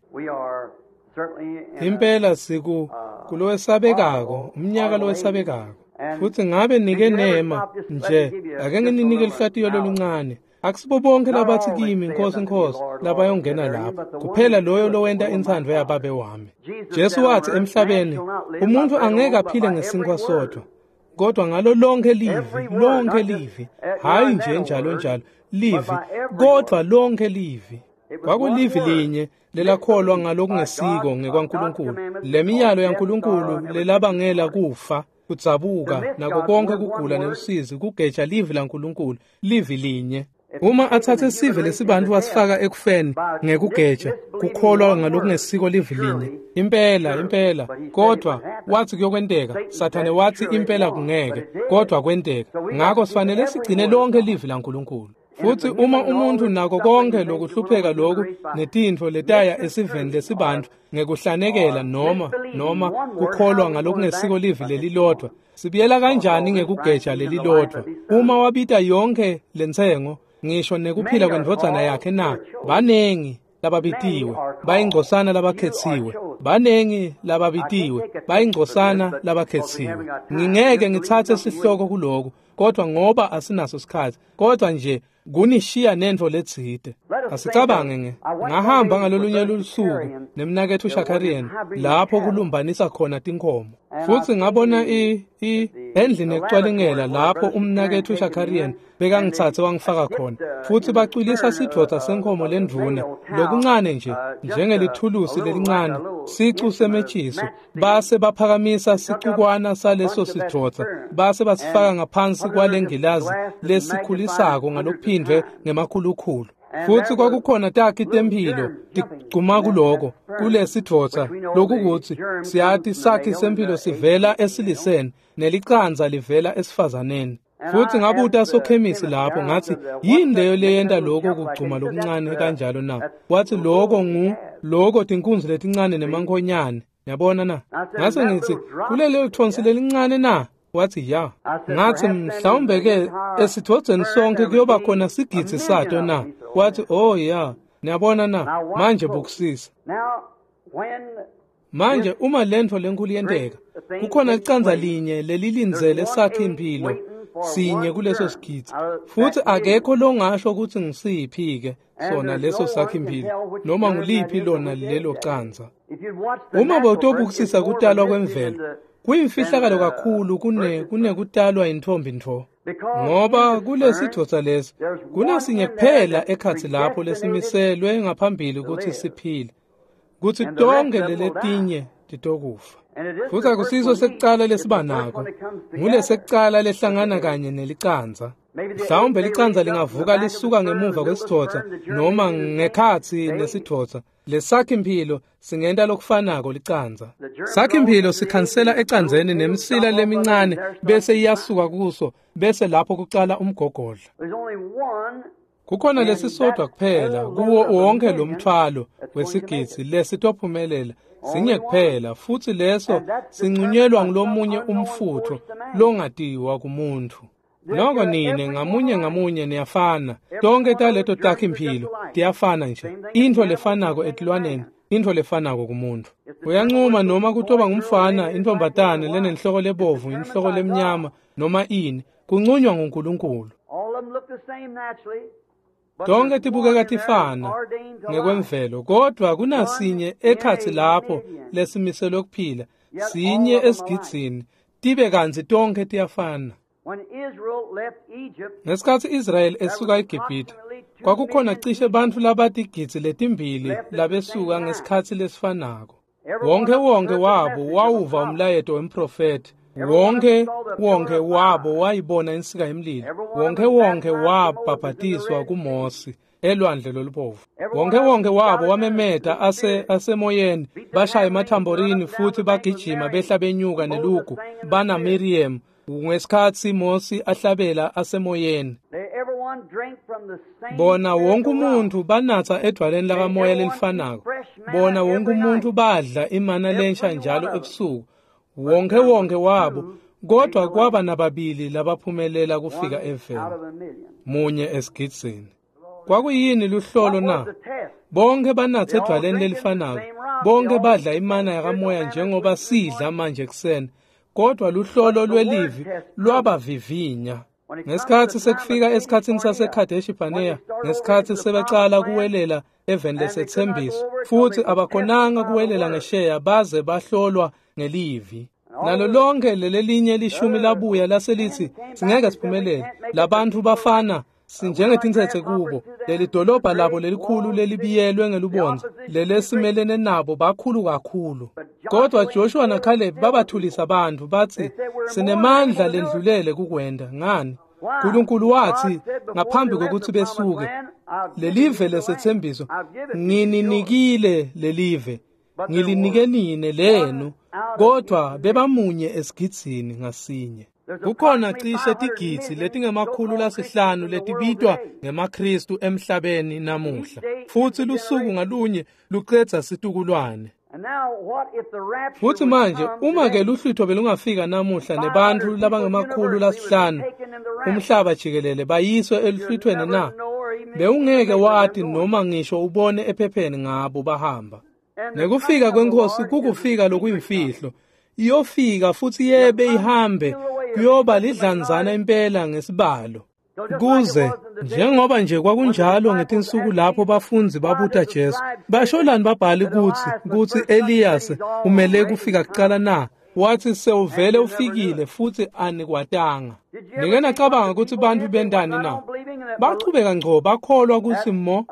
Impela siku kulowesabekako, umnyaka lowesabekako. Futsi ngabe nike nema nje, ake ngininike lihlatiyo loluncane. Akusibo bonke labatsi kimi Nkhosi Nkhosi labayongena lapho, kuphela loyo lowenta intsandvo yaBabe wami. Jesu watsi emhlabeni, umuntfu angeke aphile ngesinkwa sodvwa, kodwa ngalo lonke livi, lonke livi, hhayi nje njalo njalo, livi, kodwa lonke livi. Kwakulivi linye lelakholwa ngalokungesiko ngekwaNkulunkulu. Lemiyalo yaNkulunkulu lelabangela kufa, kudzabuka, nako konke kugula nelusizi, kugeja livi laNkulunkulu, livi linye. Uma atsatse sive lesibantfu wasifaka ekufeni ngekugeja, kukholwa ngalokungesiko livi linye. Impela, impela, kodwa wathi kuyokwenteka. Sathane wathi impela kungeke, kodwa kwenteka. Ngako sifanele sigcine lonke livi laNkulunkulu. Futsi uma umuntfu nako konke lokuhlupheka loku netintfo letaya esiveni lesibantfu ngekuhlanekela noma noma kukholwa ngalokungesiko livi lelilodvwa, sibuyela kanjani ngekugeja lelilodvwa? Uma wabita yonke lentsengo, ngisho nekuphila kwendvodzana yakhe na, banengi lababitiwe, bayingcosana labakhetsiwe, banengi lababitiwe, bayingcosana labakhetsiwe. Ngingeke ngitsatse sihloko kuloku, kodwa ngoba asinaso sikhatsi, kodwa nje kunishiya nentfo letsite. Asicabange nge ngahamba ngalolunye lusuku nemnaketfu Shakarian lapho kulumbanisa khona tinkhomo. Futsi ngabona i i endlini yekucwalingela lapho umnaketfu Shakarian bekangitsatse wangifaka khona. Futsi bacwilisa sidvodza senkhomo lendvuna lokuncane nje njengelithulusi lelincane, sicu semetjiso, base baphakamisa sicukwana saleso sidvodza base basifaka ngaphansi kwalengilazi lesikhulisako ngalokuphindvwe ngemakhulukhulu. Futsi kwakukhona takhi temphilo tigcuma kuloko kulesidvodza, lokukutsi siyati sakhi semphilo sivela esiliseni nelicandza livela esifazaneni. Futsi ngabuta sokhemisi lapho ngathi, yini leyo leyenta lokho kugcuma lokuncane kanjalo na? Wathi lokho ngu lokho tinkunzi letincane nemankhonyane. Yabona na? Ngase ngithi, kulelo thonsi lelincane na? Wathi ya. Ngathi mhlawumbe ke esithodzeni sonke kuyoba khona sigidzi sato na? Wathi oh ya. Niyabona na? Manje bukusisa. Manje uma lentfo lenkulu yenteka, kukhona licandza linye lelilindzele sakhe impilo sinye kuleso sigidzi, futhi akekho longasho ukuthi ngisiphi-ke sona leso sakhi-mphilo noma nguliphi lona lelo candza. Uma bowutobukisisa kutalwa kwemvelo, kuyimfihlakalo kakhulu kune kunekutalwa intombi ntfo, ngoba kulesidvodza lesi kunasinye kuphela ekhatsi lapho lesimiselwe ngaphambili kutsi siphile, kutsi tonkhe leletinye titokufa. Futhi akusiso sekucala lesiba nako, ngulesekucala lehlangana kanye nelicandza. Mhlawumbe licandza lingavuka lisuka ngemuva kwesidvodza noma ngekhatsi nesidvodza. Lesakhi-mphilo singenta lokufanako licandza. Sakhi-mphilo sikhansela ecandzeni nemisila lemincane bese iyasuka kuso, bese lapho kucala umgogodla. Kukhona lesisodwa kuphela kuwo wonke lo mthwalo wesigidzi lesitophumelela, sinye kuphela, futhi leso sincunyelwa ngulomunye umfutho longatiwa kumuntu. Noko nine ngamunye ngamunye niyafana, tonke taleto takhi-mphilo tiyafana nje, intfo lefanako etilwaneni, intfo lefanako kumuntu. Uyancuma noma kutoba ngumfana, intfombatane lenenhloko lebovu, inhloko lemnyama noma ini, kuncunywa nguNkulunkulu. Tonke tibukeka tifana ngekwemvelo, kodwa kunasinye ekhatsi lapho lesimiselwe kuphila, sinye esigidzini, tibe kantsi tonke tiyafana. Ngesikhatsi Israyeli esuka eGibhithe, kwakukhona cishe bantfu labatigidzi letimbili labesuka ngesikhatsi lesifanako. Wonke wonke wabo wawuva umlayeto wemprofethi, wonke wonke wabo wayibona insika yemlilo, wonke wonke wabhabhatiswa kuMosi elwandle lolubovu. Wonke wonke wabo wamemeta ase asemoyeni, bashaya emathamborini futhi bagijima behla benyuka nelugu bana Miriam ngesikhatsi Mosi ahlabela asemoyeni. Bona wonke umuntu banatsa edwaleni lakamoya lelifanako. Bona wonke umuntu badla imana lensha njalo ebusuku. Wonke wonke wabo, kodwa kwaba nababili labaphumelela kufika eveni, munye esigidzini. Kwakuyini luhlolo na? Bonke banatsa edwaleni lelifanako, bonke badla imana yakamoya njengoba sidla manje ekuseni, kodwa luhlolo lwelivi lwabavivinya. Ngesikhatsi sekufika esikhatsini saseKhadeshi Barnea, ngesikhatsi sebacala kuwelela eveni lesethembiso, futhi abakhonanga kuwelela ngesheya baze bahlolwa ngelivi. Nalo lonke lelelinye lishumi labuya laselithi singeke siphumelele, labantu bafana sinjengetintsetse kubo, leli dolobha labo lelikhulu lelibiyelwe ngelubondza, lelesimelene nabo bakhulu kakhulu. Kodwa Joshua naCaleb babathulisa abantu bathi sinemandla lendlulele kukwenda. Ngani? Nkulunkulu wathi ngaphambi kokuthi besuke, lelive lesethembiso ngininikile lelive, ngilinike nine lenu, kodwa bebamunye esigidzini ngasinye. Kukhona cishe tigidzi letingemakhulu lasihlanu letibitwa ngemaKristu emhlabeni namuhla, futhi lusuku ngalunye lucedza situkulwane. Futhi manje uma ke luhlwitho belungafika namuhla nebantfu labangemakhulu lasihlanu umhlaba jikelele bayiswe eluhlwithweni na, bewungeke wati noma ngisho ubone ephepheni ngabo bahamba. Nekufika kwenkosi kukufika lokuyimfihlo, iyofika futhi yebe ihambe, kuyoba lidlanzana impela ngesibalo. Kuze njengoba nje kwakunjalo ngetinsuku lapho bafundzi babuta Jesu, basholani babhali kutsi kutsi Elias umele kufika kucala na? Wathi sewuvele ufikile futhi anikwatanga. Nike nacabanga kutsi bantfu bentani na? Bachubeka ngco bakholwa kutsi mo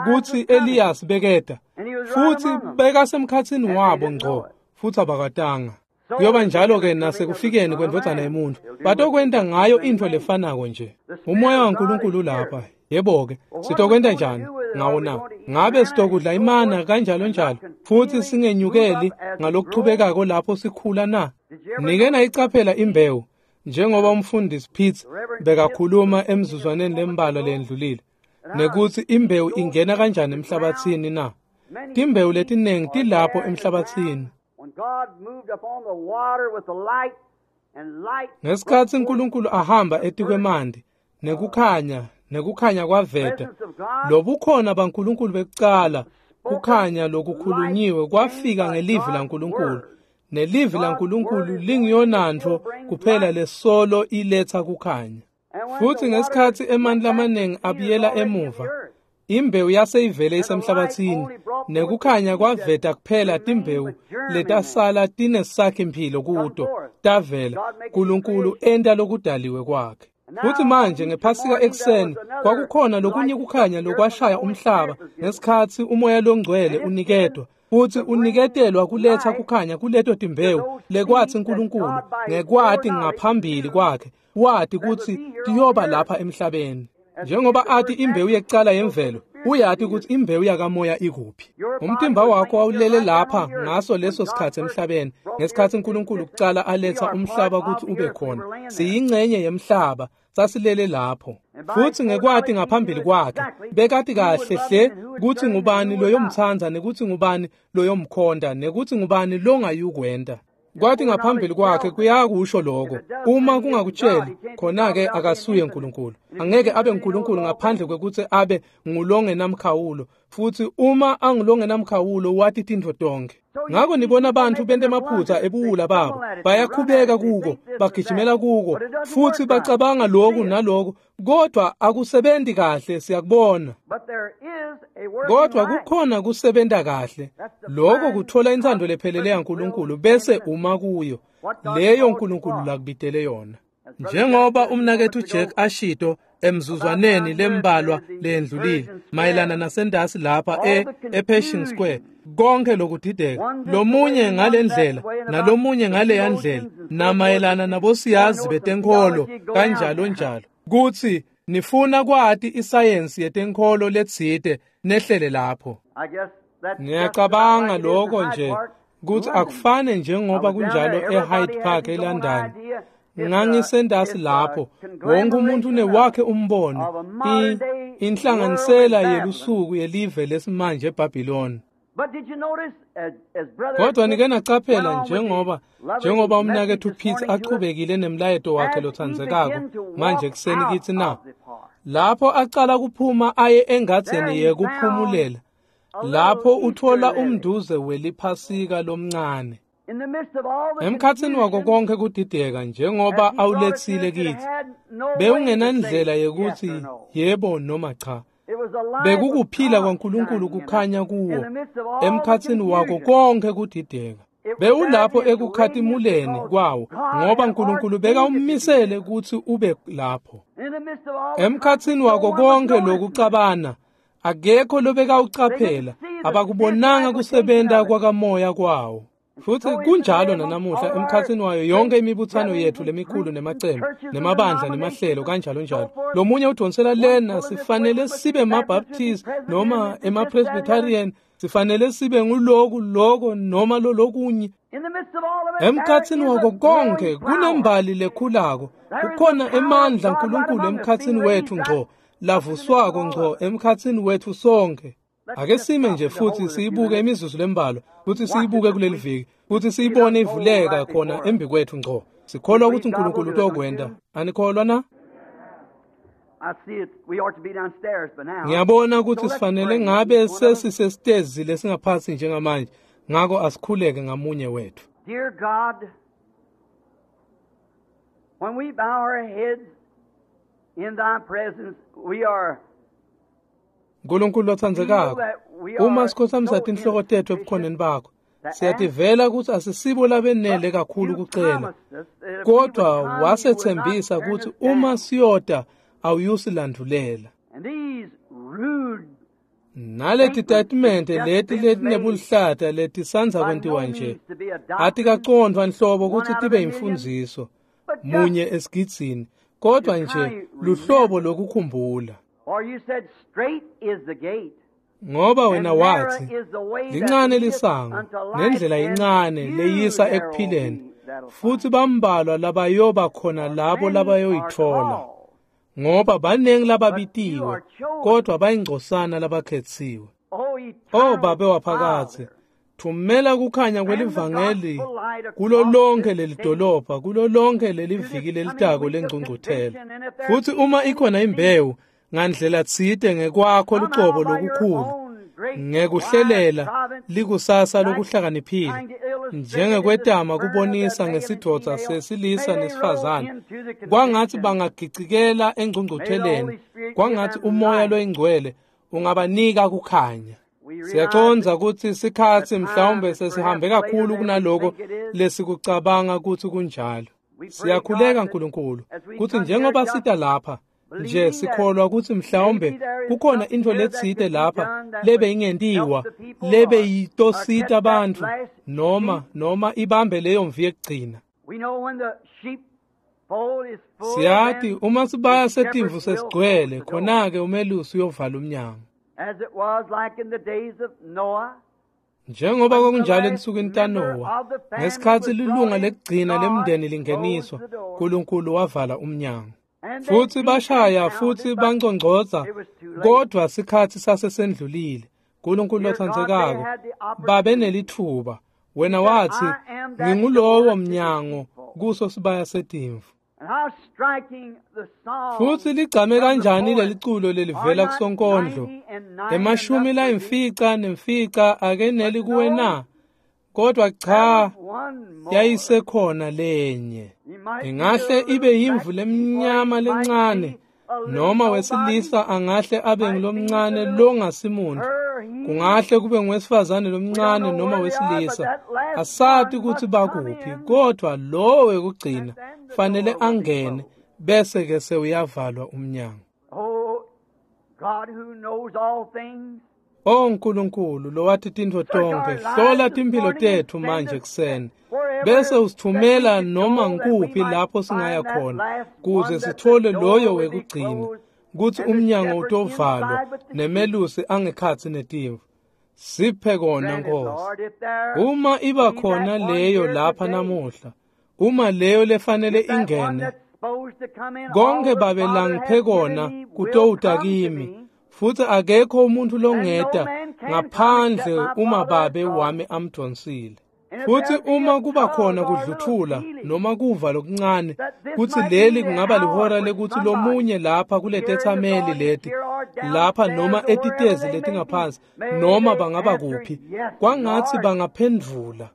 kutsi Elias beketa, futhi bekasemkhatsini wabo ngco, futhi abakwatanga. Kuyoba njalo-ke nasekufikeni kwendvodzana yemuntfu, batokwenta ngayo intfo lefanako nje. Umoya waNkulunkulu lapha. Yebo-ke, sitokwenta njani ngawo na? Ngabe sitokudla imana kanjalo njalo, futhi singenyukeli ngalokuchubekako lapho sikhula na? Nike nayicaphela imbewu, njengoba umfundisi Pitts bekakhuluma emzuzwaneni lembalwa lendlulile, nekutsi imbewu ingena kanjani emhlabatsini na? Timbewu letinengi tilapho emhlabatsini. Ngesikhatsi uNkulunkulu ahamba etikwemanti, nekukhanya, nekukhanya kwaveta, lobukhona baNkulunkulu bekucala, kukhanya lokukhulunyiwe kwafika ngelivi laNkulunkulu, Nelivi laNkulunkulu lingiyonantfo kuphela lesolo iletha kukhanya. Futhi ngesikhathi emanti lamaningi abuyela emuva, imbewu yaseyivele isemhlabathini, nekukhanya kwaveta kuphela timbewu letasala tinesakhi-mphilo kuto, tavela. Nkulunkulu enta lokudaliwe kwakhe. Futhi manje ngephasika ekuseni kwakukhona lokunye kukhanya lokwashaya umhlaba ngesikhathi umoya longcwele unikedwa, futhi uniketelwa kuletha kukhanya kuleto timbewu lekwathi uNkulunkulu ngekwati ngaphambili kwakhe wati kutsi tiyoba lapha emhlabeni. Njengoba athi imbewu yekucala yemvelo, uyati kutsi imbewu yakamoya ikuphi. Umtimba wakho wawulele lapha ngaso leso sikhathi emhlabeni, ngesikhathi uNkulunkulu kucala aletha umhlaba kutsi ube khona. Siyingcenye yemhlaba, sasilele lapho. Futhi ngekwati ngaphambili kwakhe, bekati kahle hle kutsi ngubani loyomtsandza nekutsi ngubani loyomkhonta nekutsi ngubani longayukwenta. Kwathi ngaphambili kwakhe kuyakusho lokho. Uma kungakutsheli, khona-ke akasuye uNkulunkulu. Angeke abe uNkulunkulu ngaphandle kwekutsi abe ngulongenamkhawulo. Futhi uma angulongenamkhawulo wati tintfo tonkhe. Ngako nibona abantu bente emaphutsa ebuwula babo, bayakhubeka kuko, bagijimela kuko, futhi bacabanga lokhu naloko, kodwa akusebenti kahle, siyakubona. Kodwa kukhona kusebenta kahle. Lokho kuthola intsandvo lephelele yaNkulunkulu bese uma kuyo, leyo uNkulunkulu lakubitele yona. Njengoba umnaketfu Jack ashito emzuzwaneni lembalwa lendlulile mayelana nasendasi lapha e ePershing Square, konke lokudideka, lomunye ngalendlela nalomunye ngaleya ndlela, namayelana nabosiyazi betenkholo kanjalo njalo, kutsi nifuna kwati isayensi yetenkholo letsite nehlele lapho. Ngiyacabanga lokho nje kutsi akufane njengoba kunjalo eHyde Park eLondon. Ngangisendasi lapho, wonke umuntu unewakhe umbono, inhlanganisela yelusuku yelive lesimanje eBhabhiloni. Kodwa nike nacaphela njengoba njengoba umnaketfu Pitts achubekile nemlayeto wakhe lotsandzekako manje ekuseni kitsi na, lapho acala kuphuma aye engadzeni yekuphumulela, lapho uthola umnduze weliphasika lomncane. Emkhatsini wako konke kudideka njengoba awuletsile kitsi, bewungenandlela yekutsi yebo noma cha. Bekukuphila kwaNkulunkulu kukhanya kuwo emkhatsini wako konke kudideka. Bewulapho ekukhatimuleni kwawo ngoba uNkulunkulu bekawumisele kutsi ube lapho. Emkhatsini wako konke lokucabana, akekho lobekawucaphela, abakubonanga kusebenta kwakamoya kwawo. Futhi kunjalo nanamuhla emkhatsini wayo yonke imibuthano yethu lemikhulu nemacembu nemabandla nemahlelo kanjalo njalo. Lomunye udonsela lena, sifanele sibe maBaptist noma emaPresbyterian, sifanele sibe nguloku loko noma lolokunye. Emkhatsini wako konke kunembali lekhulako, kukhona emandla uNkulunkulu emkhatsini wethu ngco, lavuswako ngco emkhatsini wethu sonke. Ake sime nje futhi siyibuke imizuzu lembalwa, futhi siyibuke kuleli viki, futhi siyibone ivuleka khona embi kwethu ngco. Sikholwa ukuthi uNkulunkulu utokwenta. Anikholwa na? Ngiyabona ukuthi sifanele ngabe sesisesitezi lesingaphansi njengamanje, ngako asikhuleke ngamunye wethu. Dear God, when we bow our heads in thy presence, we are Nkulunkulu lotsandzekako, uma sikhothamisa tinhloko tetfu ebukhoneni bakho, siyativela kutsi asisibo labenele kakhulu kucela, kodwa wasetsembisa kutsi uma siyota awuyusilandulela. Naleti tatimende leti letinebuluhlata letisandza kwentiwa nje atikacondvwa nhlobo kutsi tibe yimfundziso munye esigidzini, kodwa nje luhlobo lokukhumbula. Ngoba wena wathi, lincane lisango, nendlela incane leyisa ekuphileni, futhi bambalwa labayoba khona labo labayoyithola. Ngoba banengi lababitiwe, kodwa bayingcosana labakhetsiwe. O Babe waphakadze, thumela kukhanya kwelivangeli kulo lonke leli dolobha, kulo lonke leli viki lelitako lengcungcuthela. Futhi uma ikhona imbewu, ngandlela tsite ngekwakho lucobo lokukhulu, ngekuhlelela likusasa lokuhlakaniphile, njengekwetama kubonisa ngesidvodza sesilisa nesifazane, kwangathi bangagicikela engcungcutheleni, kwangathi uMoya loyiNgcwele ungabanika kukhanya. Siyacondza kutsi sikhatsi mhlawumbe sesihambe kakhulu kunaloko lesikucabanga kutsi kunjalo. Siyakhuleka Nkulunkulu kutsi njengoba sita lapha nje sikholwa kutsi mhlawumbe kukhona intfo letsite lapha lebe ingentiwa, lebe yitosita bantfu noma noma ibambe leyo mvi yekugcina. Siyati uma sibaya setimvu sesigcwele, khona-ke umelusi uyovala umnyango. Njengoba kwakunjalo ensukwini taNowa, ngesikhatsi lilunga lekugcina lemndeni lingeniswa, Nkulunkulu wavala umnyango. Futsi bashaya futsi bangcongcotsa, kodvwa sikhatsi sasesendlulile. Nkulunkulu lotsandzekako, babe nelitfuba. Wena watsi, ngingulowo mnyango kuso sibaya setimvu. Futsi ligcame kanjani leliculo lelivela kusonkondlo? Emashumi layimfica nemfica akeneli kuwe na? Kodwa cha, yayisekhona lenye. Ingahle ibe yimvu lemnyama lencane, noma wesilisa angahle abe ngulomncane longasimuntu. Kungahle kube ngowesifazane lomncane noma wesilisa. Asati kutsi bakuphi, kodwa lowo wekugcina fanele angene, bese ke sewuyavalwa umnyango. O Nkulunkulu lowati tintfo tonkhe, hlola timphilo tetfu manje kuseni, bese usithumela noma ngikuphi lapho singaya khona, kuze sithole loyo wekugcina, kutsi umnyango utovalwa nemelusi angekhatsi netimvu. Siphe kona Nkosi. Uma iba khona leyo lapha namuhla, uma leyo lefanele ingene, konke Babe langiphe kona kutowuta kimi, futsi akekho umuntu longeta ngaphandle uma Babe wami amdvonsile. Futsi uma kuba khona kudluthula noma kuva lokuncane kutsi leli kungaba lihora lekutsi lomunye lapha kuletetsameli leti lapha noma etitezi letingaphansi noma bangaba kuphi, kwangatsi bangaphendvula,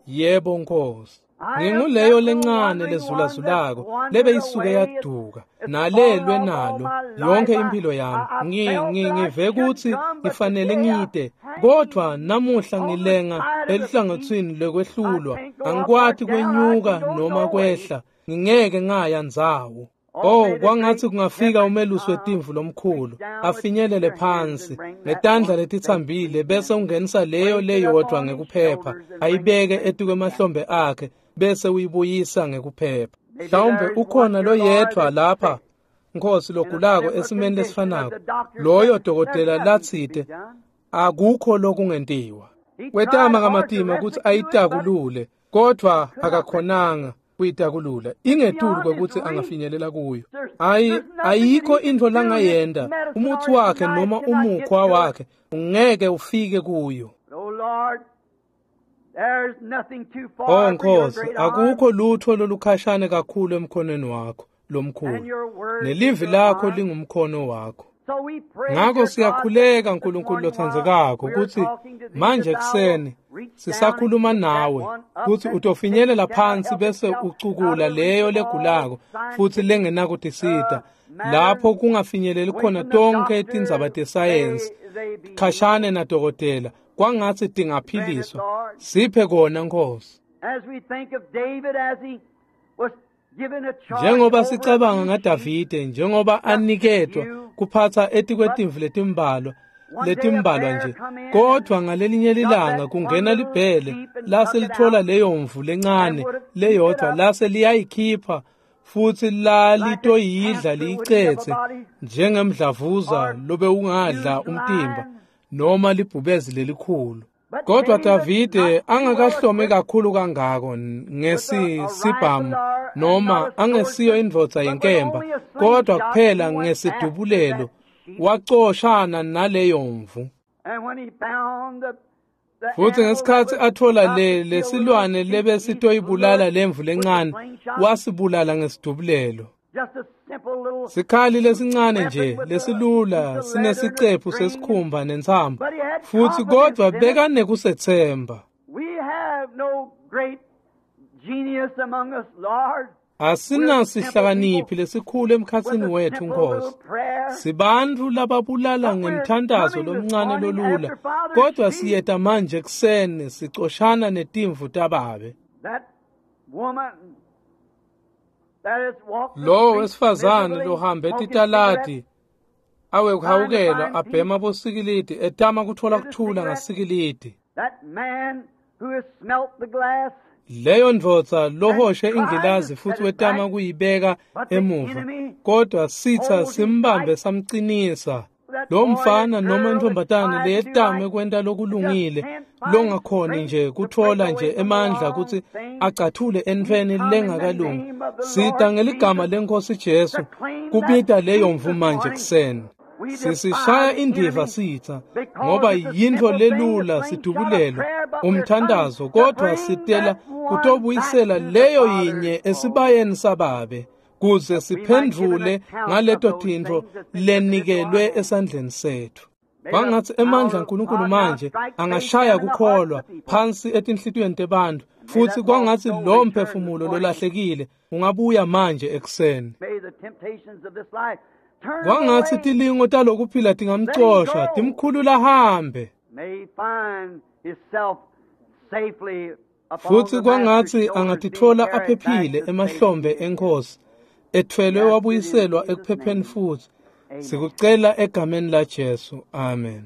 yebo Nkosi. Nginguleyo lencane lezulazulako lebe isuke yaduka nalelwe nalo yonke impilo yami. Ngi ngi ngive kutsi ngifanele ngite, kodwa namuhla ngilenga elihlangotsini lekwehlulwa. Angikwati kwenyuka noma kwehla, ngingeke ngaya ndzawo. Oh, kwangatsi kungafika umelusi wetimvu lomkhulu afinyelele phansi ngetandla letitsambile, bese ungenisa leyo leyodvwa ngekuphepha, ayibeke etukwemahlombe akhe, bese uyibuyisa ngekuphepha. Mhlawumbe ukhona loyedvwa lapha Nkosi logulako esimeni lesifanako, loyo dokotela latsite akukho lokungentiwa. Wetama kamatima kutsi ayitakulule, kodvwa akakhonanga kuyitakulula, ingetulu kwekutsi angafinyelela kuyo. Ayi, ayikho intfo langayenta, umutsi wakhe noma umukhwa wakhe ungeke ufike kuyo. Oh Nkosi, akukho lutho lolukhashane kakhulu emkhonweni wakho lomkhulu, nelivi lakho lingumkhono wakho. Ngako siyakhuleka Nkulunkulu lotsandzekako kutsi manje kuseni sisakhuluma nawe kutsi utofinyelela phansi bese ucukula leyo legulako futsi lengenakutisita, lapho kungafinyeleli khona tonkhe tindzaba tesayensi khashane nadokotela, kwangatsi tingaphiliswa. Siphe kona Nkosi. Njengoba sicabanga ngaDavide, njengoba aniketwa kuphatsa etikwetimvu letimbalwa letimbalwa nje, kodvwa ngalelinye lilanga kungena libhele lase litfola leyo mvu lencane leyodvwa, lase liyayikhipha futsi lalitoyidla liyicetse njengemdlavuza lobe ungadla umtimba noma libhubezi lelikhulu. Kodwa Davide angakahlome kakhulu kangako ngesisibhamu noma angesiyo indvodza yenkemba, kodwa kuphela ngesidubulelo wacoshana naleyo mvu. Futsi ngesikhatsi atfola le lesilwane lebesitoyibulala lemvu lencane, wasibulala ngesidubulelo. Sikhali lesincane nje lesilula sinesicephu sesikhumba nentsambo, futsi kodvwa bekanekusethemba. great genius among us, Lord. Asinasihlakaniphi lesikhulu emkhatsini wethu Nkosi. Sibantfu lababulala ngemthandazo lomncane lolula, kodwa siyeta manje ekuseni sicoshana netimvu tababe. That woman that has walked the Lowo streets wesifazane miserably, lohambe smoking titaladi cigarettes, awekuhawukelwa abhema bosikilidi etama kutfola kuthula ngasikilidi. that man who has smelt the glass, Leyo ndvodza lohoshe ingilazi futhi wetama kuyibeka emuva, kodwa sitsa simbambe samcinisa. Lo mfana noma intombatane leyetame kwenta lokulungile, longakhoni nje kutfola nje emandla kutsi acathule entfweni lengakalungi. Sita ngeligama leNkhosi Jesu kubita leyo mvu manje ekuseni. Sisishaya indiva sitsa ngoba yintfo lelula sidubulelo umthandazo, kodwa sitela kutobuyisela leyo yinye esibayeni sababe kuze siphendvule ngaleto tintfo lenikelwe esandleni setfu. Kwangatsi emandla aNkulunkulu manje angashaya kukholwa phansi etinhlitiyweni tebantfu, futsi kwangatsi lowo mphefumulo lolahlekile ungabuya manje ekuseni. may the temptations of this life turn Kwangatsi away. tilingo talokuphila tingamcosha timkhulula ahambe. May he find himself safely upon Futsi the kwangatsi master's shoulders, being angatitfola carried back aphephile to emahlombe safety. eNkhosi, etfwelwe wabuyiselwa ekuphepheni futsi. Amen. Sikucela egameni laJesu. Amen.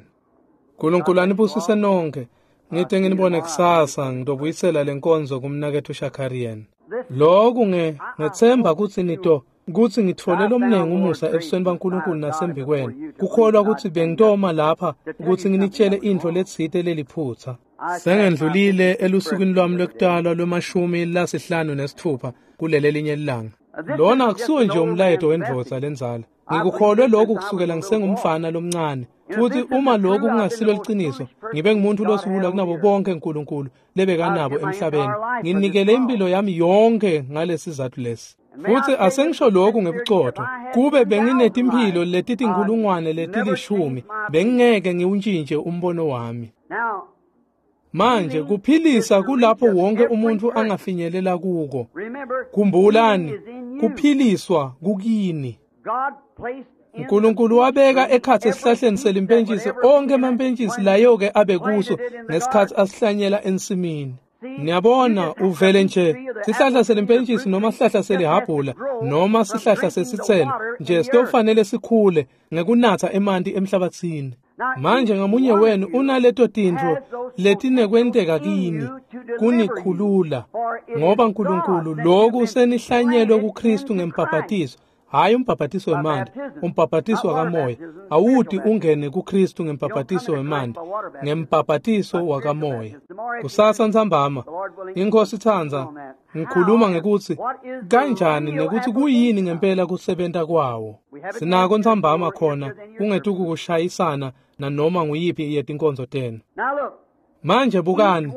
Nkulunkulu anibusise nonke. Ngite nginibone kusasa ngitobuyisela lenkonzo kumnaketfu Shakarian. Loku nge ngethemba kutsi nito kutsi ngitfole lomningi umusa ebusweni baNkulunkulu nasembikwenu. Kukholwa kutsi bengitoma lapha kutsi nginitshele intfo letsite leliphutsa. Sengendlulile elusukwini lwami lwekutalwa lwemashumi lasihlanu nesitfupha kuleli linye lilanga. Lona akusuwo nje umlayeto wendvodza lendzala. Ngikukholwe lokhu kusukela ngisengumfana lomncane. Futhi uma lokhu kungasilo liciniso, ngibe ngumuntu losiwula kunabo bonke uNkulunkulu lebekanabo emhlabeni. Nginikele impilo yami yonke ngalesizathu lesi. Futhi asengisho lokhu ngebucotho, kube benginetimphilo letitinkhulungwane letilishumi, bengingeke ngiwuntshintshe umbono wami. Now, Manje kuphilisa kulapho wonke umuntu angafinyelela kuko. remember, Khumbulani, healing is in you. kuphiliswa kukini. God placed in uNkulunkulu wabeka ekhatsi esihlahleni selimpentshisi onke emampentshisi layo-ke abe kuso ngesikhatsi asihlanyela ensimini. Niyabona uvele nje sihlahla selimpentshisi noma sihlahla selihhabhula noma sihlahla sesitselo nje sitofanele sikhule ngekunatsa emanti emhlabatsini. Manje ngamunye wenu unaleto tintfo letinekwenteka kini kunikhulula, ngoba uNkulunkulu loku senihlanyelwe kuKristu ngembhaphathiso. Hayi umbhaphathiso wemanti, umbhaphathiso wakamoya. Awuti ungene kuKristu ngembhaphathiso wemanti, ngembhaphathiso wakamoya. Kusasa ntsambama, iNkhosi itsandza, ngikhuluma ngekutsi kanjani nekuthi kuyini ngempela kusebenta kwawo. Sinako ntsambama khona kungetukukushayisana nanoma nguyiphi yetinkonzo tenu. Now look, Manje bukani,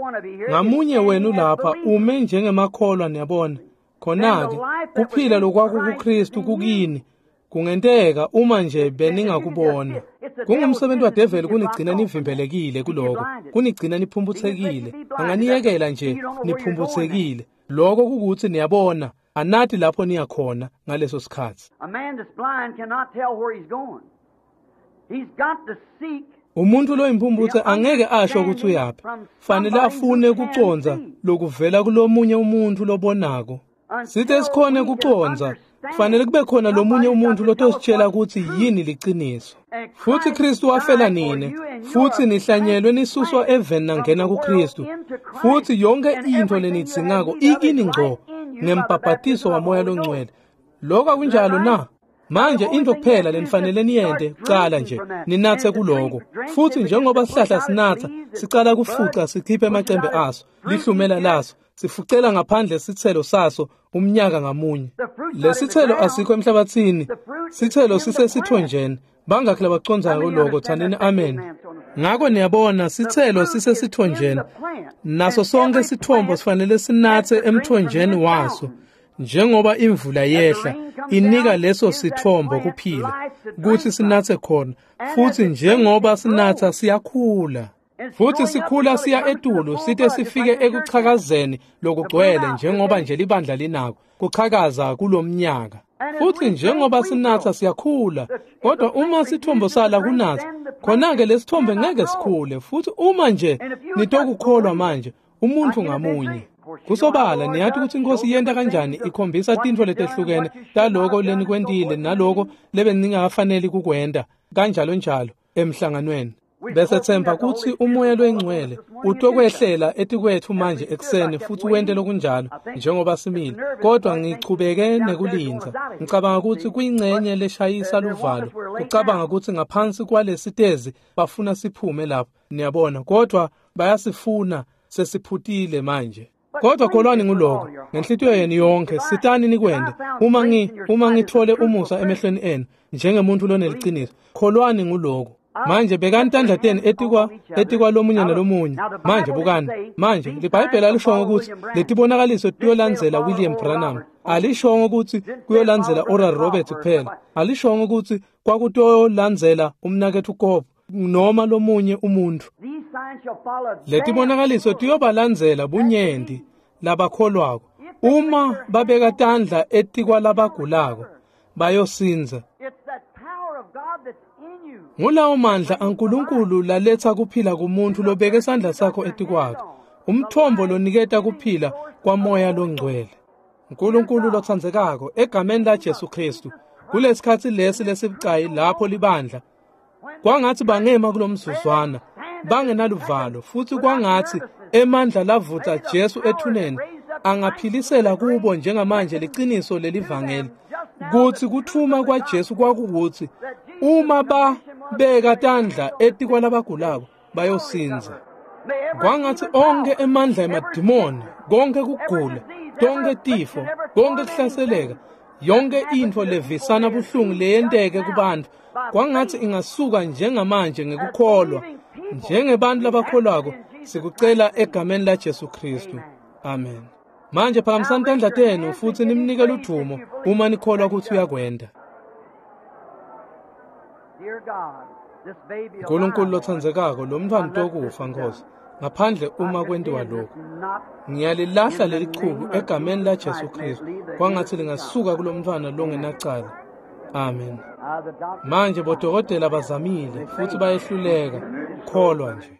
ngamunye wenu lapha ume njengemakholwa niyabona. Khona-ke kuphila lokwakukuKristu kukini kungenteka uma nje beningakubona. Kungumsebenzi wadeveli kunigcina nivimbelekile kuloko, kunigcina niphumphutsekile. Anganiyekela nje niphumphutsekile. Lokho kukuthi niyabona, anati lapho niyakhona ngaleso sikhatsi. a man that's blind cannot tell where he's going. He's got to seek Umuntu loyimphumputse angeke asho ukuthi uyaphi. Fanele afune kucondza lokuvela kulomunye umuntu lobonako. Sithe sikhone kucondza, kufanele kube khona lomunye umuntu lotositshela ukuthi yini liciniso. Futhi Kristu wafela nine, futhi nihlanyelwe nisuswa eveni nangena kuKristu. Futhi yonke into lenidzingako ikini ngco ngembhaphathiso waMoya loNgcwele. Lokho akunjalo na? Manje into kuphela lenifanele niyente kucala nje ninathe kuloko. Futhi njengoba sihlahla sinatha, sicala kufuca sikhiphe amacembe aso, lihlumela laso, sifucela ngaphandle sithelo saso umnyaka ngamunye. Lesithelo asikho emhlabathini, sithelo sisesithonjeni. Bangakhi labacondzako loko tsanini amen. Ngako niyabona sithelo sisesithonjeni, naso sonke sithombo sifanele sinathe emthonjeni waso. Njengoba imvula yehla inika leso sithombo kuphila kutsi sinatse khona, futhi njengoba sinatha siyakhula. Futhi sikhula siya etulu site sifike ekuchakazeni lokugcwele njengoba nje libandla linako kuchakaza kulomnyaka. Futhi njengoba sinatha siyakhula, kodwa uma sithombo sala kunatha, khona-ke lesithombe ngeke sikhule. Futhi uma nje nitokukholwa manje, umuntu ngamunye. Kusobala niyathi ukuthi inkosi yenta kanjani, ikhombisa tintfo letehlukene taloko lenikwentile naloko lebeningafaneli kukwenta, kanjalo njalo emhlanganweni. Bese themba kutsi umoya lwengcwele utokwehlela etikwetfu manje ekuseni futhi wente lokunjalo njengoba simile. Kodwa ngichubeke nekulindza. Ngicabanga kutsi kuyincenye leshayisa luvalo. Kucabanga kutsi ngaphansi kwalesitezi bafuna siphume lapho, niyabona, kodwa bayasifuna sesiphutile manje. Kodwa kholwani nguloko ngenhlitiyo yenu yonke, sitani nikwente. Uma ngi uma ngithole umusa emehlweni enu njengemuntu loneliciniso, kholwani nguloko. Manje bekani tandla tenu etikwa etikwa lomunye nalomunye. Manje bukani, manje liBhayibheli alishongo kutsi letibonakaliso tiyolandzela William Branham. Alishongo kutsi kuyolandzela Oral Roberts kuphela. Alishongo kutsi kwakutolandzela umnaketfu Kobo noma lomunye umuntu. Letibonakaliso tiyobalandzela bunyenti labakholwako. Uma babeka tandla etikwa labagulako, bayosindza. Ngulawo mandla aNkulunkulu laletsa kuphila kumuntu lobeke sandla sakho etikwakhe, umthombo loniketa kuphila kwamoya longcwele. Nkulunkulu lotsandzekako, egameni la Jesu Kristu, kulesikhatsi lesi lesibucayi lapho libandla kwangatsi bangema kulomzuzwana bangenaluvalo, futhi kwangatsi emandla lavutsa Jesu ethuneni angaphilisela kubo njengamanje liciniso lelivangeli, kutsi kuthuma kwaJesu kwakukuthi uma babeka tandla etikwalabagulako bayosindza. Kwangatsi onkhe emandla emadimoni, konke kugula, tonke tifo, konke kuhlaseleka, yonke intfo levisana buhlungu leyenteke kubantu, kwangatsi ingasuka njengamanje ngekukholwa. Njengebantu labakholwako sikucela egameni la Jesu Kristu. Amen. Manje phakamisani tandla tenu futhi nimnike ludvumo uma nikholwa kutsi uyakwenta. Nkulunkulu lotsandzekako, lo mntfwana utokufa Nkosi, ngaphandle uma kwentiwa lokhu. Ngiyalilahla leli chubu egameni la Jesu Kristu, kwangatsi lingasuka kulomntfwana longenacala. Amen. Manje bodokotela bazamile futhi bayehluleka, kholwa nje.